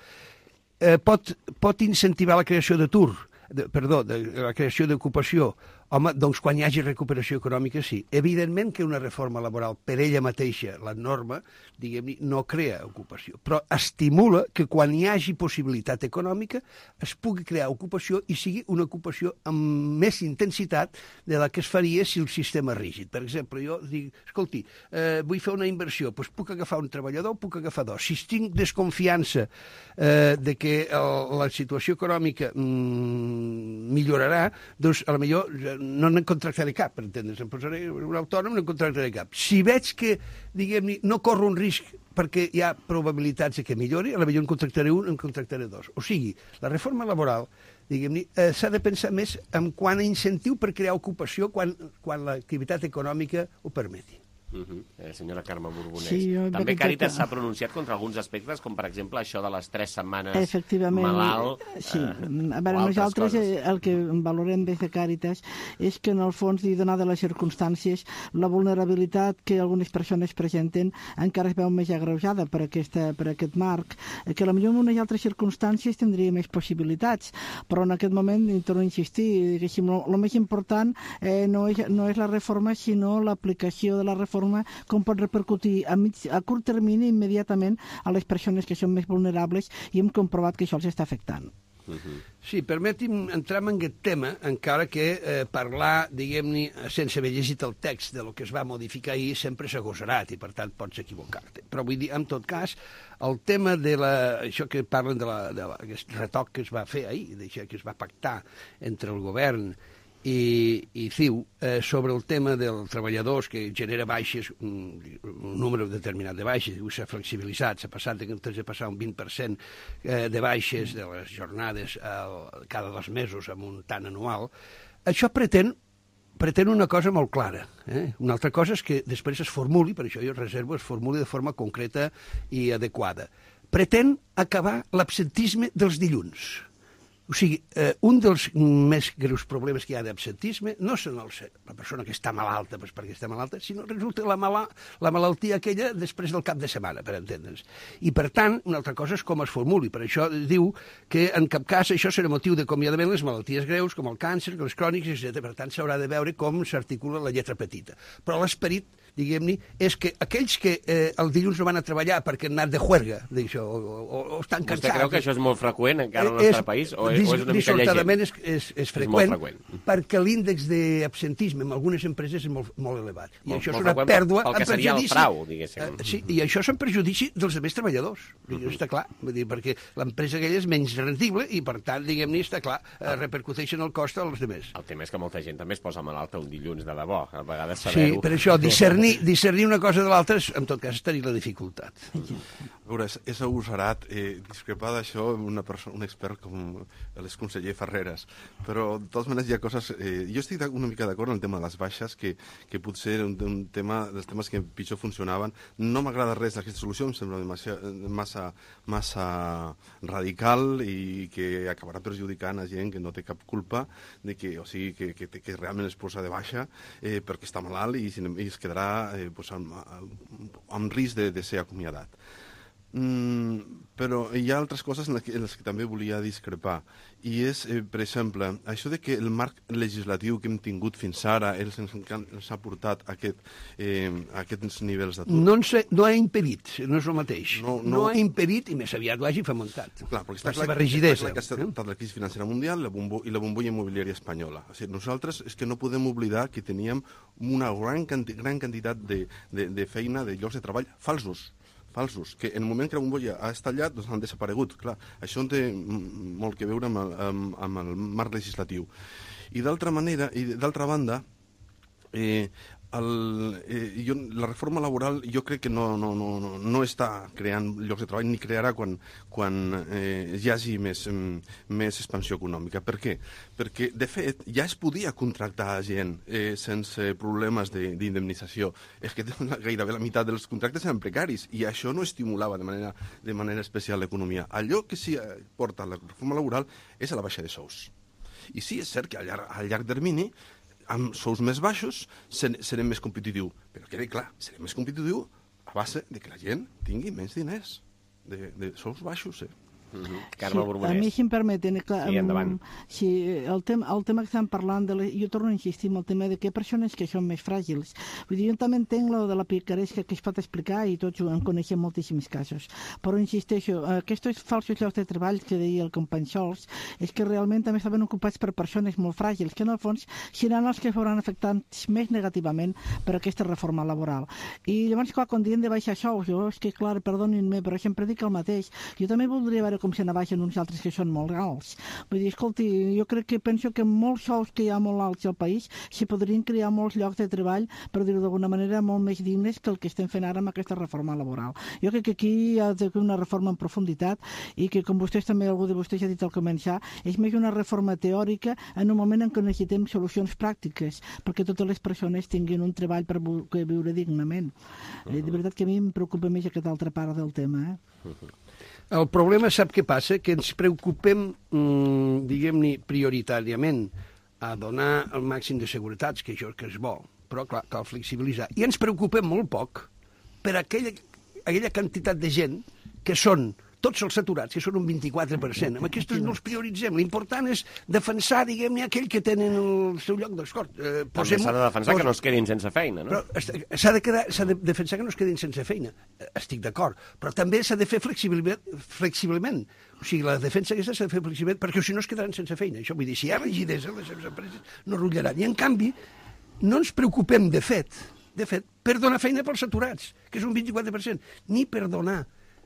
Eh, pot, pot incentivar la creació d'atur, de, perdó, de, la creació d'ocupació. Home, doncs quan hi hagi recuperació econòmica, sí. Evidentment que una reforma laboral per ella mateixa, la norma, diguem-ne, no crea ocupació, però estimula que quan hi hagi possibilitat econòmica es pugui crear ocupació i sigui una ocupació amb més intensitat de la que es faria si el sistema és rígid. Per exemple, jo dic, escolti, eh, vull fer una inversió, doncs puc agafar un treballador, puc agafar dos. Si tinc desconfiança eh, de que el, la situació econòmica mm, millorarà, doncs a lo millor no en contractaré cap, per entendre's. Em posaré un autònom, no en contractaré cap. Si veig que, diguem-ne, no corro un risc perquè hi ha probabilitats de que millori, a la millor en contractaré un, en contractaré dos. O sigui, la reforma laboral, diguem-ne, eh, s'ha de pensar més en quant a incentiu per crear ocupació quan, quan l'activitat econòmica ho permeti. Uh -huh. eh, senyora Carme Borbonès. Sí, jo, També Càritas que... s'ha pronunciat contra alguns aspectes, com per exemple això de les tres setmanes Efectivament, malalt. Sí. Eh, a veure, nosaltres coses. el que valorem des de Càritas és que en el fons, i donades les circumstàncies, la vulnerabilitat que algunes persones presenten encara es veu més agreujada per, aquesta, per aquest marc, que potser en unes altres circumstàncies tindria més possibilitats, però en aquest moment, i torno a insistir, el més important eh, no, és, no és la reforma, sinó l'aplicació de la reforma, com pot repercutir a, mig, a curt termini immediatament a les persones que són més vulnerables, i hem comprovat que això els està afectant. Uh-huh. Sí, permeti'm entrar en aquest tema, encara que eh, parlar, diguem-ne, sense haver llegit el text de lo que es va modificar ahir sempre s'ha agosarat i, per tant, pots equivocar-te. Però vull dir, en tot cas, el tema de la, això que parlen de, la, de la, aquest retoc que es va fer ahir, d'això que es va pactar entre el govern i, i C I U eh, sobre el tema dels treballadors que genera baixes, un, un número determinat de baixes, s'ha flexibilitzat, s'ha passat de, de passar un vint per cent eh, de baixes de les jornades eh, cada dos mesos amb un tant anual. Això pretén pretén una cosa molt clara. Eh? Una altra cosa és que després es formuli, per això jo reservo, es formuli de forma concreta i adequada. Pretén acabar l'absentisme dels dilluns. O sigui, eh, un dels més greus problemes que hi ha d'absentisme no són els, la persona que està malalta pues perquè està malalta, sinó resulta la, mala, la malaltia aquella després del cap de setmana, per entendre'ns. I, per tant, una altra cosa és com es formuli. Per això diu que, en cap cas, això serà motiu d'acomiadament les malalties greus, com el càncer, els crònics, etcètera. Per tant, s'haurà de veure com s'articula la lletra petita. Però l'esperit, diguem-ne, és que aquells que eh, el dilluns no van a treballar perquè han anat de juerga, d'això, o, o, o estan cansats... Vostè creu que això és molt freqüent encara al nostre país? O és, o és una mica llegent? És, és, és freqüent, és freqüent, perquè l'índex d'absentisme en algunes empreses és molt, molt elevat. I molt, això és una pèrdua pel que seria el frau, diguéssim. Uh, sí, i això és en perjudici dels altres treballadors. Uh -huh. Està clar, vull dir, perquè l'empresa aquella és menys rendible i, per tant, diguem-ne, està clar, uh, repercuteixen el cost als altres. El tema és que molta gent també es posa malalta un dilluns de debò, a vegades Sí, saber-ho. per això, discernir, discernir una cosa de l'altra, en tot cas, tenir la dificultat. A veure, és, és agosarat eh, discrepar d'això una persona, un expert com l'exconseller Ferreras, però de totes maneres hi ha coses... Eh, jo estic una mica d'acord en el tema de les baixes, que, que potser era un, un tema dels temes que pitjor funcionaven. No m'agrada res d'aquesta solució, em sembla massa, massa, massa radical i que acabarà perjudicant a gent que no té cap culpa, de que, o sigui, que, que, que realment es posa de baixa eh, perquè està malalt i, i es quedarà eh, pues, amb, amb risc de, de ser acomiadat. Mm, però hi ha altres coses en les, que, en les que també volia discrepar, i és, eh, per exemple, això de que el marc legislatiu que hem tingut fins ara ens, ens ha portat a, aquest, eh, a aquests nivells d'atur. No, no ha impedit, no és el mateix. No, no, no ha impedit i més aviat ho hagi fomentat. Clar, perquè està la clar, rigidesa. Està clar que ha estat la crisi financera mundial la bombo, i la bombolla immobiliària espanyola. O sigui, nosaltres és que no podem oblidar que teníem una gran, quanti, gran quantitat de, de, de feina, de llocs de treball falsos. falsos, que en el moment que la bombolla ha estallat doncs han desaparegut. Clar, això té molt que veure amb el, amb, amb el marc legislatiu. I d'altra manera, i d'altra banda, eh, el, eh, jo, la reforma laboral jo crec que no, no, no, no, no està creant llocs de treball ni crearà quan, quan eh, hi hagi més, més expansió econòmica. Per què? Perquè, de fet, ja es podia contractar gent eh, sense problemes d'indemnització. És que gairebé la meitat dels contractes eren precaris i això no estimulava de manera, de manera especial l'economia. Allò que sí porta la reforma laboral és a la baixa de sous. I sí, és cert que a llarg, a llarg termini amb sous més baixos serem més competitius. Però queda clar, serem més competitius a base de que la gent tingui menys diners, de, de sous baixos, eh? Uh-huh. Carme sí, Borbonès. A mi, si em permeten, clar, sí, endavant. Sí, el, tema, el tema que estem parlant, de la, jo torno a insistir en el tema de que hi ha persones que són més fràgils. Vull dir, jo també entenc lo de la picaresca que es pot explicar i tots en coneixem moltíssims casos. Però insisteixo, aquests falsos llocs de treball que deia el company Sols és que realment també estaven ocupats per persones molt fràgils, que en el fons seran els que foran afectats més negativament per aquesta reforma laboral. I llavors, clar, quan diem de baixar sous, jo és que, clar, perdonin-me, però sempre dic el mateix. Jo també voldria veure com se n'abaixen uns altres que són molt alts. Vull dir, escolti, jo crec que penso que amb molts sous que hi ha molt alts al país s'hi podrien crear molts llocs de treball, per dir-ho d'alguna manera, molt més dignes que el que estem fent ara amb aquesta reforma laboral. Jo crec que aquí hi ha d'haver una reforma en profunditat i que, com vostès també, algú de vostès ha dit al començar, és més una reforma teòrica en un moment en què necessitem solucions pràctiques perquè totes les persones tinguin un treball per viure dignament. Uh-huh. De veritat que a mi em preocupa més aquesta altra part del tema. Eh? Uh-huh. El problema, sap què passa? Que ens preocupem, mmm, diguem-ne, prioritàriament a donar el màxim de seguretats, que això que és bo, però clar, cal flexibilitzar. I ens preocupem molt poc per aquella, aquella quantitat de gent que són tots els saturats, que són un vint-i-quatre per cent. Amb aquests no els prioritzem. L'important és defensar, diguem-ne, aquell que tenen el seu lloc d'escort. Eh, També s'ha de defensar pos... que no es quedin sense feina, no? Però s'ha de, quedar, s'ha de defensar que no es quedin sense feina. Estic d'acord. Però també s'ha de fer flexibilment. flexiblement. O sigui, la defensa aquesta s'ha de fer flexibilment, perquè si no es quedaran sense feina. Això vull dir, si hi ha rigidesa, les seves empreses no rotllaran. I, en canvi, no ens preocupem, de fet, de fet, per donar feina pels saturats, que és un vint-i-quatre per cent, ni per donar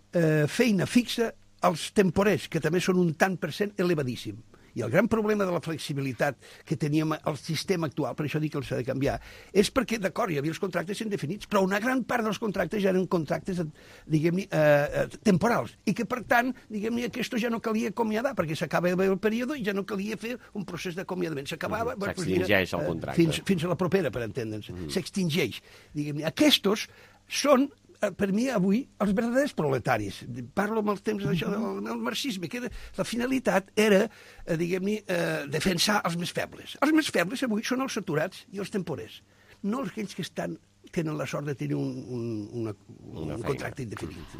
Eh, feina fixa als temporers, que també són un tant per cent elevadíssim. I el gran problema de la flexibilitat que teníem al sistema actual, per això dic que s'ha de canviar, és perquè, d'acord, hi havia els contractes indefinits, però una gran part dels contractes ja eren contractes, diguem-ne, eh, temporals, i que, per tant, diguem-ne, aquest ja no calia acomiadar, perquè s'acaba el període i ja no calia fer un procés d'acomiadament. S'acabava... Mm, S'extingeix el contracte. Fins, fins a la propera, per entendre'ns. Mm. S'extingeix. Diguem-ne, aquests són per mi avui els verdaders proletaris. Parlo amb els temps d'això del, del marxisme, que era, la finalitat era, eh, diguem-ne, eh, defensar els més febles. Els més febles avui són els saturats i els temporers, no aquells que estan tenen la sort de tenir un, un, una, un, un contracte indefinit.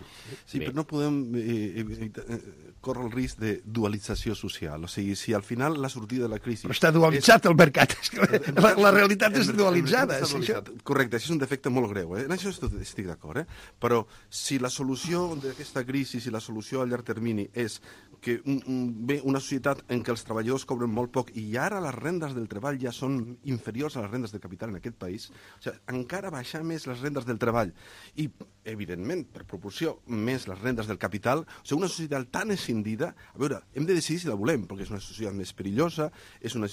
Sí, Bé. però no podem eh, eh, córrer el risc de dualització social. O sigui, si al final la sortida de la crisi... Però està dualitzat és... el mercat. És que la, la realitat és dualitzada. És dualitzat. Correcte, això és un defecte molt greu. Eh? En això estic d'acord. Eh? Però si la solució d'aquesta crisi, si la solució a llarg termini és que un, un, bé, una societat en què els treballadors cobren molt poc i ara les rendes del treball ja són inferiors a les rendes del capital en aquest país, o sigui, encara baixar més les rendes del treball i, evidentment, per proporció, més les rendes del capital, o sigui, una societat tan escindida, a veure, hem de decidir si la volem, perquè és una societat més perillosa, és una,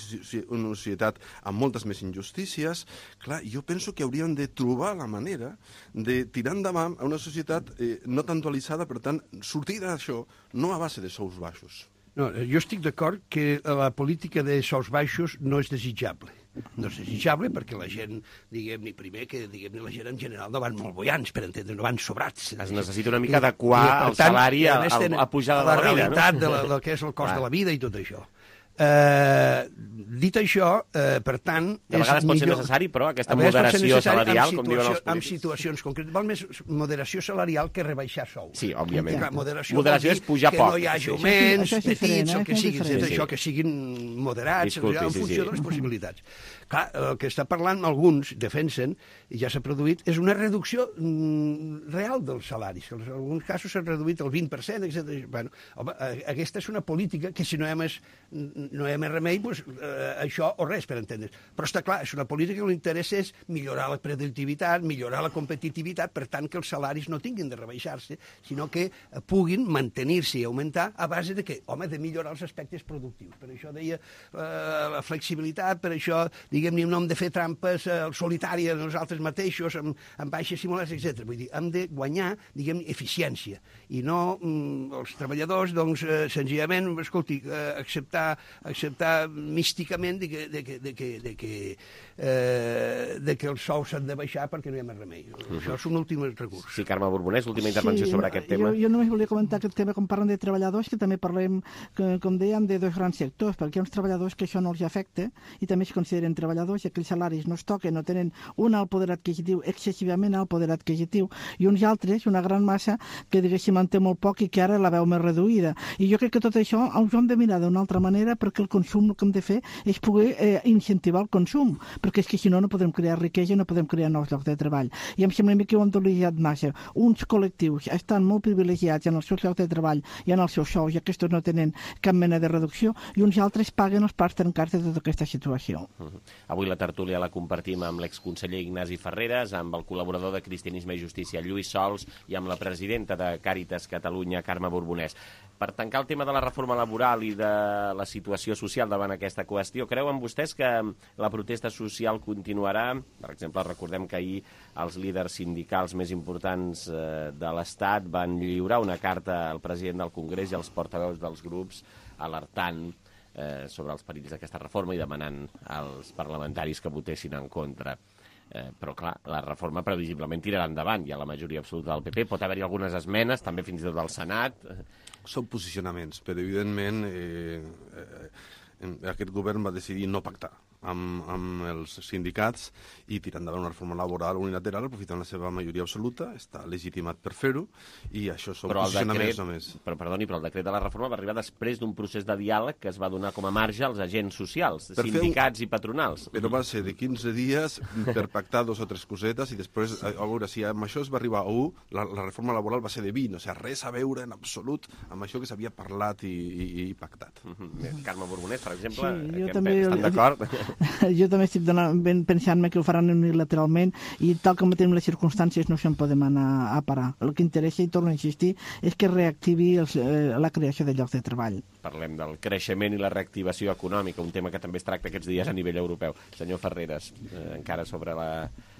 una societat amb moltes més injustícies. Clar, jo penso que hauríem de trobar la manera de tirar endavant a una societat eh, no tan dualitzada, per tant, sortir d'això no a base de sous baixos. No, jo estic d'acord que la política de sous baixos no és desitjable. No és desitjable perquè la gent, diguem-ne, primer que diguem-ne la gent en general no van molt boiants, per entendre, no van sobrats. Es necessita una mica adequar el salari a, a, a pujada de la vida, no? La realitat de la, del que és el cost de la vida i tot això. Eh, dit això, eh, per tant... De vegades pot ser necessari, però, aquesta moderació salarial, com diuen els polítics. En situacions concretes. Val més moderació salarial que rebaixar sou. Sí, òbviament. Ja. Moderació, moderació és pujar que poc. Que no hi hagi augments, petits, o que siguin, sí, sí. Això, que siguin moderats, Disculpi, en funció sí, sí. de les possibilitats. Clar, el que està parlant alguns defensen, i ja s'ha produït, és una reducció mm, real dels salaris. En alguns casos s'ha reduït el vint per cent, etcètera. Bueno, home, aquesta és una política que si no hi ha més, no hi ha més remei, doncs, eh, això o res, per entendre's. Però està clar, és una política que l'interès és millorar la productivitat, millorar la competitivitat, per tant que els salaris no tinguin de rebaixar-se, sinó que puguin mantenir-se i augmentar a base de què? Home, de millorar els aspectes productius. Per això deia eh, la flexibilitat, per això diguem-ne, no hem de fer trampes eh, solitàries nosaltres mateixos, amb, amb baixes simulars, etcètera. Vull dir, hem de guanyar, diguem-ne, eficiència, i no mm, els treballadors, doncs, eh, senzillament, escolti, eh, acceptar, acceptar místicament de que, de que, de que, de que, eh, de que els sous s'han de baixar perquè no hi ha més remei. Uh-huh. Això és un últim recurs. Sí, Carme Borbonès, última intervenció sí, sobre aquest tema. Jo, jo només volia comentar aquest tema, com parlen de treballadors, que també parlem, que, com dèiem, de dos grans sectors, perquè hi ha uns treballadors que això no els afecta i també es consideren treballadors i aquells salaris no es toquen, no tenen un alt poder adquisitiu, excessivament alt poder adquisitiu, i uns altres, una gran massa, que diguéssim en té molt poc i que ara la veu més reduïda. I jo crec que tot això ho hem de mirar d'una altra manera, perquè el consum el que hem de fer és poder eh, incentivar el consum, perquè és que si no no podem crear riquesa, no podem crear nous llocs de treball. I em sembla que ho hem utilitzat massa. Uns col·lectius estan molt privilegiats en els seus llocs de treball i en els seus sous, i aquests no tenen cap mena de reducció, i uns altres paguen els parts trencats de tota aquesta situació. Uh-huh. Avui la tertúlia la compartim amb l'exconseller Ignasi Ferreres, amb el col·laborador de Cristianisme i Justícia Lluís Sols, Sols i amb la presidenta de Càritas Catalunya, Carme Borbonès. Per tancar el tema de la reforma laboral i de la situació social davant aquesta qüestió, creuen vostès que la protesta social continuarà? Per exemple, recordem que ahir els líders sindicals més importants de l'Estat van lliurar una carta al president del Congrés i als portaveus dels grups alertant eh, sobre els perills d'aquesta reforma i demanant als parlamentaris que votessin en contra. Eh, però, clar, la reforma previsiblement tirarà endavant. Hi ha la majoria absoluta del P P, pot haver-hi algunes esmenes, també fins i tot del Senat. Són posicionaments, però evidentment eh, eh, aquest govern va decidir no pactar amb, amb els sindicats i tirar endavant una reforma laboral unilateral aprofitant la seva majoria absoluta, està legitimat per fer-ho, i això són però posicionaments decret, només. Però, perdoni, però el decret de la reforma va arribar després d'un procés de diàleg que es va donar com a marge als agents socials, per sindicats un... i patronals. Però va ser de quinze dies per pactar dos o tres cosetes i després, a veure, si amb això es va arribar a u, la, la reforma laboral va ser de vint, o sigui, res a veure en absolut amb això que s'havia parlat i, i, i pactat. Mm-hmm. Carme Borbonès, per exemple, sí, jo que també, estan d'acord? Jo també estic pensant-me que ho faran unilateralment i tal com tenim les circumstàncies no se'n podem anar a parar. El que interessa, i torno a insistir, és que reactivi els, eh, la creació de llocs de treball. Parlem del creixement i la reactivació econòmica, un tema que també es tracta aquests dies a nivell europeu. Senyor Ferreres, eh, encara sobre la...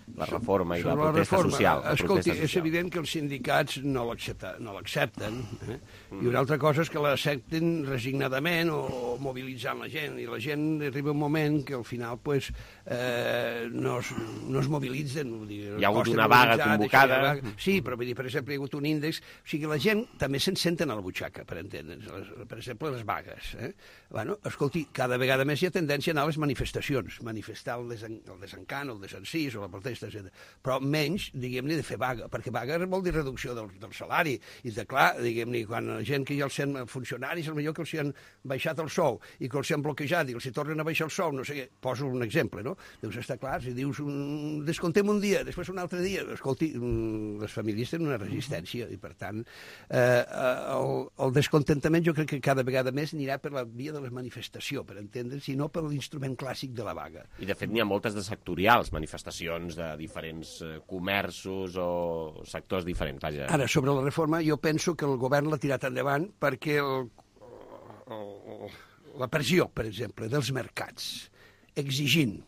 la reforma i sobre la protesta la reforma, social. La escolti, protesta social. És evident que els sindicats no l'accepten, no l'accepten eh? mm. i una altra cosa és que l'accepten resignadament o, o mobilitzant la gent, i la gent arriba un moment que al final pues, eh, no, es, no es mobilitzen. Vull dir, hi ha hagut una vaga convocada. Vaga. Sí, però vull dir, per exemple, hi ha hagut un índex, o sigui, la gent també se'n senten a la butxaca, per entendre'ns, per exemple, les vagues. Eh? Bueno, escolti, cada vegada més hi ha tendència a anar a les manifestacions, manifestar el, desen, el desencant, el desencís o la protesta, però menys, diguem-ne, de fer vaga, perquè vaga vol dir reducció del, del salari, i de clar, diguem-ne, quan la gent que ja els han funcionaris, potser que els han baixat el sou i que els han bloquejat i els hi tornen a baixar el sou, no sé què, poso un exemple, no? Dius, està clar, si dius, un, descontem un dia, després un altre dia, escolti, les famílies tenen una resistència i, per tant, eh, el, el descontentament jo crec que cada vegada més anirà per la via de la manifestació, per entendre's, i no per l'instrument clàssic de la vaga. I, de fet, n'hi ha moltes de sectorials, manifestacions de de diferents comerços o sectors diferents. Vaja. Ara, sobre la reforma, jo penso que el govern l'ha tirat endavant perquè el, el, la pressió, per exemple, dels mercats, exigint,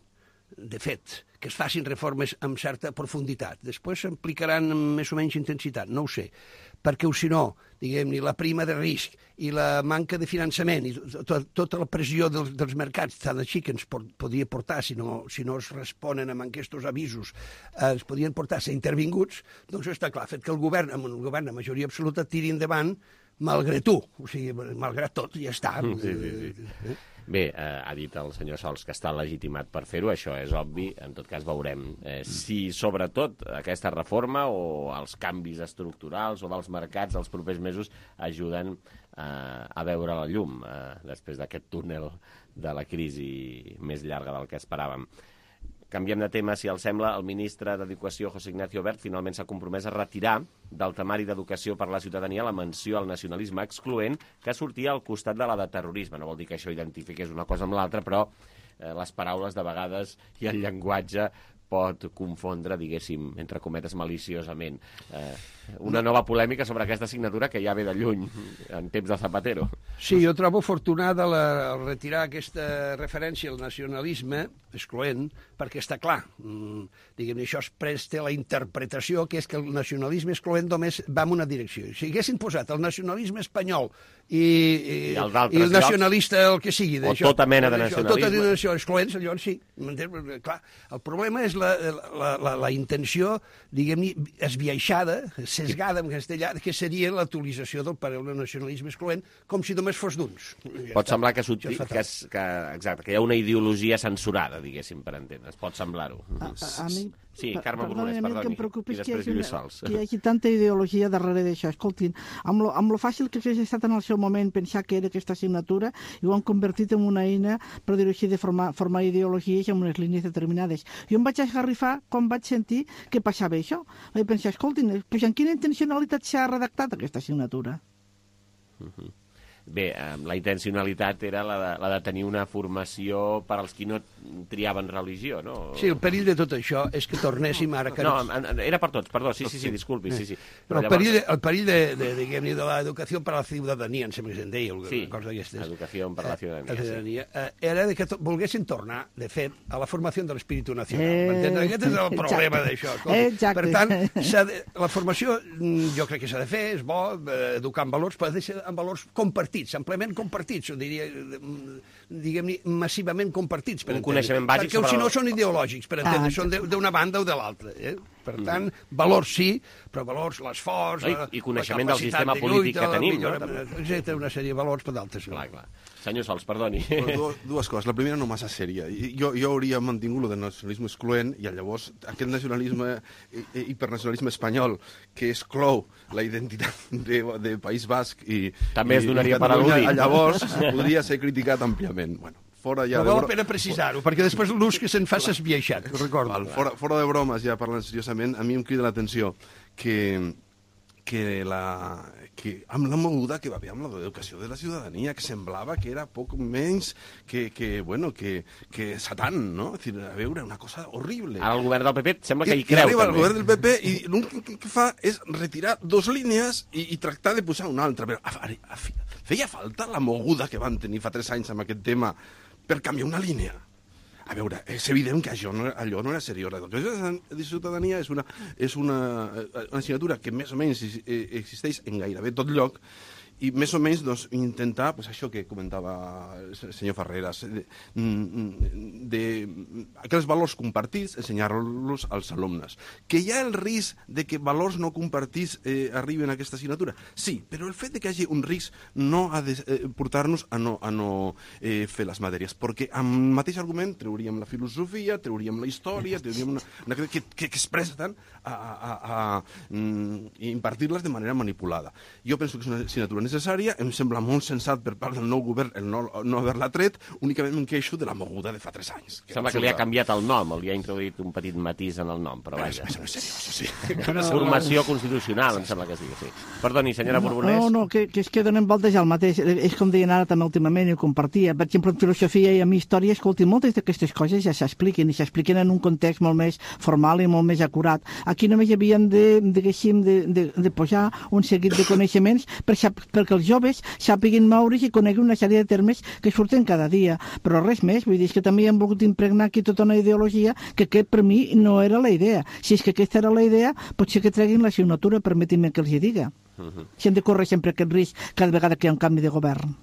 de fet, que es facin reformes amb certa profunditat. Després s'aplicaran amb més o menys intensitat, no ho sé, perquè si no, diguem-ne, la prima de risc i la manca de finançament i to tota la pressió dels, dels mercats, tant així que ens por podria portar, si no, si no es responen amb aquests avisos, eh, es podien portar a ser intervinguts, doncs està clar, fet que el govern, amb el govern de majoria absoluta, tiri endavant malgrat tu, o sigui, malgrat tot, ja està. Sí, sí, sí. Eh? Bé, eh, ha dit el senyor Sols que està legitimat per fer-ho, això és obvi, en tot cas veurem eh, si sobretot aquesta reforma o els canvis estructurals o dels mercats els propers mesos ajuden eh, a veure la llum eh, després d'aquest túnel de la crisi més llarga del que esperàvem. Canviem de tema, si els sembla. El ministre d'Educació, José Ignacio Wert, finalment s'ha compromès a retirar del temari d'Educació per la ciutadania la menció al nacionalisme excloent que sortia al costat de la de terrorisme. No vol dir que això identifiqués una cosa amb l'altra, però eh, les paraules de vegades i el llenguatge pot confondre, diguéssim, entre cometes, maliciosament. Eh, una nova polèmica sobre aquesta assignatura que ja ve de lluny, en temps de Zapatero. Sí, jo trobo afortunada la, el retirar aquesta referència al nacionalisme excloent, perquè està clar, mm, diguem-ne, això es presta a la interpretació que és que el nacionalisme excloent només va en una direcció. Si haguessin posat el nacionalisme espanyol i, i, I, el, i el nacionalista, el que sigui, o tota mena de nacionalisme, tota mena de nacionalisme excloents, llavors sí. Clar, el problema és la, la, la, la intenció, diguem-ne, esbiaixada, sesgada en castellà, que seria l'actualització del parell de nacionalisme excloent, com si només fos d'uns. Ja pot està. semblar que, que, que, que, exacte, que hi ha una ideologia censurada, diguéssim, per entendre's. Pot semblar-ho. A, a, a mi... Sí, Carme Borbonès, perdoni. perdoni. El que em preocupa és que hi, hagi una, que hi hagi tanta ideologia darrere d'això. Escoltin, amb lo, amb lo fàcil que hagi estat en el seu moment pensar que era aquesta assignatura, i ho han convertit en una eina, per dir-ho així, de formar, formar ideologies en unes línies determinades. Jo em vaig esgarrifar quan vaig sentir que passava això. Vaig pensar, escoltin, pues en quina intencionalitat s'ha redactat aquesta assignatura? Uh-huh. bé, la intencionalitat era la de, la de tenir una formació per als qui no triaven religió, no? Sí, el perill de tot això és que tornéssim ara... Que no, era per tots, perdó, sí, sí, sí, disculpi, sí, sí. Però el perill, el perill de, de, diguem-ne, de l'educació per a la ciutadania, em sembla que se'n deia, sí, cosa d'aquestes. Educació per a la ciutadania, ciutadania sí. Era de que volguessin tornar, de fet, a la formació de l'espíritu nacional. Eh, Aquest és el problema d'això. Per tant, de, la formació jo crec que s'ha de fer, és bo, educar en valors, però ha de ser en valors compartits, amplament compartits, o diria, diguem-ne, massivament compartits. Per un coneixement bàsic perquè si no són ideològics, per entendre, són d'una banda o de l'altra. Eh? Per tant, valors sí, però valors, l'esforç... I, i coneixement del sistema polític que tenim, no? Exacte, una sèrie de valors, però d'altres no. Clar, clar. Senyor Sols, perdoni. Dues, dues coses. La primera no massa sèria. Jo, jo hauria mantingut el nacionalisme excloent i llavors aquest nacionalisme, hipernacionalisme espanyol que exclou la identitat de, de País Basc i... També es donaria per al·ludit. Llavors podria ser criticat àmpliament. Bueno, fora ja però val la pena precisar-ho, perquè després l'ús que se'n fa s'ha esbiaixat, recordo. Fora, fora de bromes, ja parlant seriosament, a mi em crida l'atenció que, que, la, que amb la moguda que va haver amb l'educació de la ciutadania, que semblava que era poc menys que, que, bueno, que, que Satan, no? És dir, a veure, una cosa horrible. Ara el govern del P P sembla que hi I, creu, i arriba també. el govern del P P i l'únic que fa és retirar dos línies i, i tractar de posar una altra. Però, a, a, a, feia falta la moguda que van tenir fa tres anys amb aquest tema per canviar una línia. A veure, és evident que això no, allò no era seriós. L'educació de ciutadania és una, és una, una assignatura que més o menys existeix en gairebé tot lloc i més o menys doncs, intentar, pues, això que comentava el senyor Ferreras, de, de, aquells valors compartits, ensenyar-los als alumnes. Que hi ha el risc de que valors no compartits eh, arriben a aquesta assignatura? Sí, però el fet de que hi hagi un risc no ha de eh, portar-nos a no, a no eh, fer les matèries, perquè amb el mateix argument trauríem la filosofia, trauríem la història, trauríem una, una que, que, que es presten a, a, a, a mm, impartir-les de manera manipulada. Jo penso que és una assignatura necessària, em sembla molt sensat per part del nou govern el no, no haver-la tret, únicament em queixo de la moguda de fa tres anys. Que sembla que li ha canviat el nom, li ha introduït un petit matís en el nom, però vaja. Però és seriós, sí. Formació constitucional, em sembla que es diu, sí. Perdoni, senyora Borbonès. No, no, que, que és que donen voltes al mateix. És com deien ara també últimament i ho compartia. Per exemple, en filosofia i en història, escolti, moltes d'aquestes coses ja s'expliquen i s'expliquen en un context molt més formal i molt més acurat. Aquí només hi havien de, diguéssim, de, de, de posar un seguit de coneixements per, perquè els joves sàpiguin moure's i coneguin una sèrie de termes que surten cada dia. Però res més, vull dir que també han volgut impregnar aquí tota una ideologia que aquest per mi no era la idea. Si és que aquesta era la idea, potser que treguin l'assignatura, permetin-me que els hi diga. Uh -huh. Si hem de córrer sempre aquest risc cada vegada que hi ha un canvi de govern.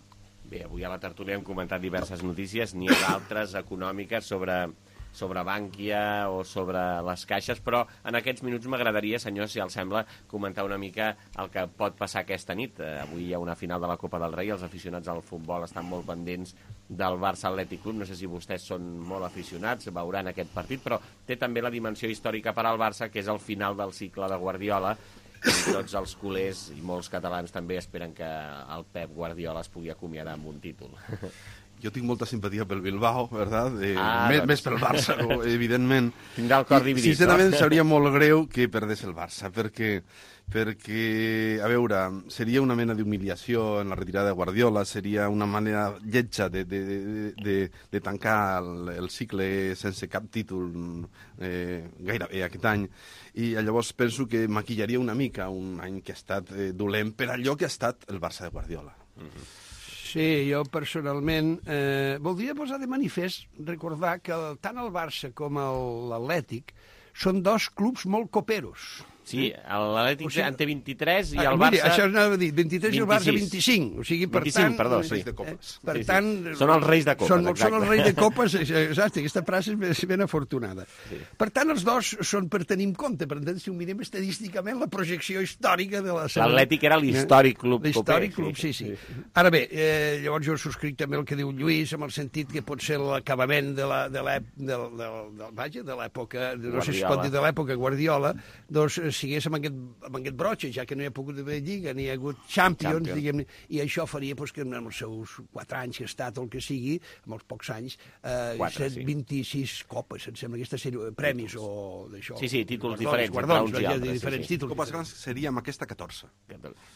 Bé, avui a la tertúlia hem comentat diverses notícies, n'hi ha d'altres econòmiques sobre... sobre Bànquia o sobre les caixes, però en aquests minuts m'agradaria, senyor, si els sembla, comentar una mica el que pot passar aquesta nit. Eh, avui hi ha una final de la Copa del Rei, els aficionats al futbol estan molt pendents del Barça Atlètic Club, no sé si vostès són molt aficionats, veuran aquest partit, però té també la dimensió històrica per al Barça, que és el final del cicle de Guardiola, i tots els culers i molts catalans també esperen que el Pep Guardiola es pugui acomiadar amb un títol. Jo tinc molta simpatia pel Bilbao, ¿verdad? Eh, ah, més, doncs... més pel Barça, evidentment. Tindrà el cor dividit, sincerament, no? Seria molt greu que perdés el Barça, perquè, perquè, a veure, seria una mena d'humiliació en la retirada de Guardiola, seria una manera lletja de, de, de, de, de tancar el, el cicle sense cap títol eh, gairebé aquest any. I llavors penso que maquillaria una mica un any que ha estat eh, dolent per allò que ha estat el Barça de Guardiola. Mm-hmm. Sí, jo personalment eh, voldria posar de manifest, recordar que el, tant el Barça com l'Atlètic són dos clubs molt coperos. Sí, l'Atlètic o sigui, en té vint-i-tres i el ah, Barça... Mira, això anava a dir, vint-i-tres i el Barça vint-i-cinc. O sigui, per vint-i-cinc, tant... perdó, sí. De copes. Eh, per sí, sí. tant... Són els reis de copes, són, exacte. Són els reis de copes, exacte, aquesta frase és ben afortunada. Sí. Per tant, els dos són per tenir en compte, per tant, si ho mirem estadísticament, la projecció històrica de la... L'Atlètic era l'històric club coper. L'històric club, sí, sí. sí. Ara bé, eh, llavors jo subscric també el que diu Lluís, amb el sentit que pot ser l'acabament de l'època, no sé si es pot dir de l'època Guardiola, doncs sigués amb aquest, amb aquest brotxe, ja que no hi ha pogut haver Lliga, ni hi ha hagut Champions, Champions. diguem-ne, i això faria pues, que en els seus quatre anys que ha estat o el que sigui, amb els pocs anys, eh, quatre, sí. vint-i-sis copes, em sembla, aquesta sèrie, premis o d'això. Sí, sí, títols guardons, diferents, guardons, entre uns i altres. Diferents sí, sí. títols. Copes grans seria amb aquesta catorze.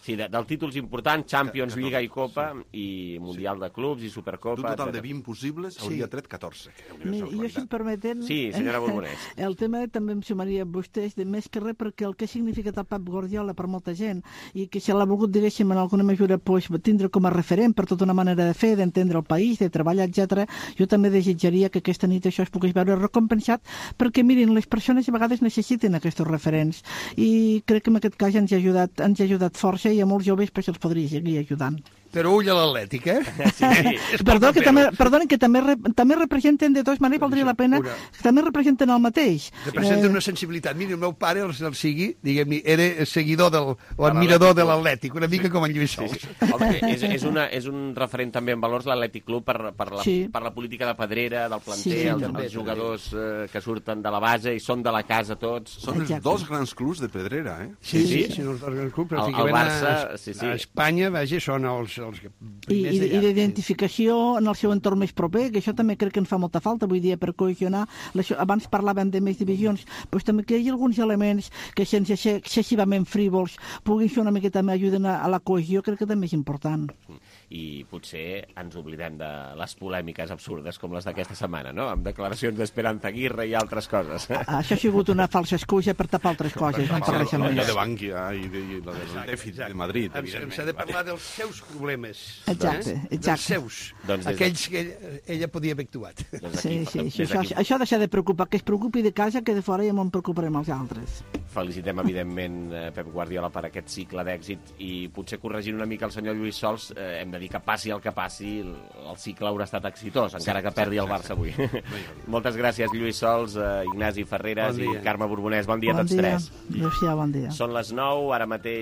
Sí, de, dels títols importants, Champions, catorze, Lliga i Copa, sí. i Mundial sí. de Clubs i Supercopa. D'un total de vint possibles, sí. hauria tret catorze. Mi, jo, si em permeten... Sí, senyora Borbonès. El tema també em sumaria a vostès, de més que res, perquè el que ha significat el Pep Guardiola per molta gent, i que se l'ha volgut, diguéssim, en alguna mesura pues, tindre com a referent per tota una manera de fer, d'entendre el país, de treballar, etcètera. Jo també desitjaria que aquesta nit això es pogués veure recompensat, perquè, mirin, les persones a vegades necessiten aquests referents, i crec que en aquest cas ens ha ajudat, ens ha ajudat força, i a molts joves pues, els podria seguir ajudant. Però ull a l'Atlètic, eh? Sí, sí. Perdó, que també, perdonen, que també, també representen, de totes maneres, valdria la pena, una... que també representen el mateix. Representen eh... una sensibilitat. Mira, el meu pare, el, el sigui, diguem-ne, era seguidor del, o admirador de l'Atlètic, una mica sí. com en Lluís Sols. Sí, sí. Home, és, és, una, és un referent també en valors l'Atlètic Club per, per, la, sí. per la política de Pedrera, del planter, sí, els, també, els jugadors eh, que surten de la base i són de la casa tots. Són els dos grans clubs de Pedrera, eh? Sí, sí, sí, sí els dos grans clubs. El, el Barça, a, sí, sí. A Espanya, vaja, són els... els I, i, i d'identificació en el seu entorn més proper, que això també crec que ens fa molta falta avui dia per cohesionar. Abans parlàvem de més divisions, però també que hi hagi alguns elements que sense ser excessivament frívols puguin ser una miqueta també ajuden a, a la cohesió, crec que també és important. I potser ens oblidem de les polèmiques absurdes com les d'aquesta setmana, no? Amb declaracions d'Esperanza Aguirre i altres coses. Això ha sigut una falsa excusa per tapar altres coses. No per res més. La de Bankia i, de, i la del dèficit de Madrid. S'ha de parlar dels seus problemes. Exacte, exacte. Dels seus, doncs aquells que ella, ella podia haver actuat. Doncs sí, sí, sí. Això, això ha de ser de preocupar, que es preocupi de casa, que de fora ja m'en preocuparem els altres. Felicitem, evidentment, Pep Guardiola per aquest cicle d'èxit i potser corregint una mica el senyor Lluís Sols, eh, hem de dir que passi el que passi, el, el cicle haurà estat exitós, encara que perdi el Barça avui. Moltes gràcies, Lluís Sols, eh, Ignasi Ferreres bon i Carme Borbonès. Bon dia a tots bon dia. tres. Adéu-siau, bon dia. Són les nou, ara mateix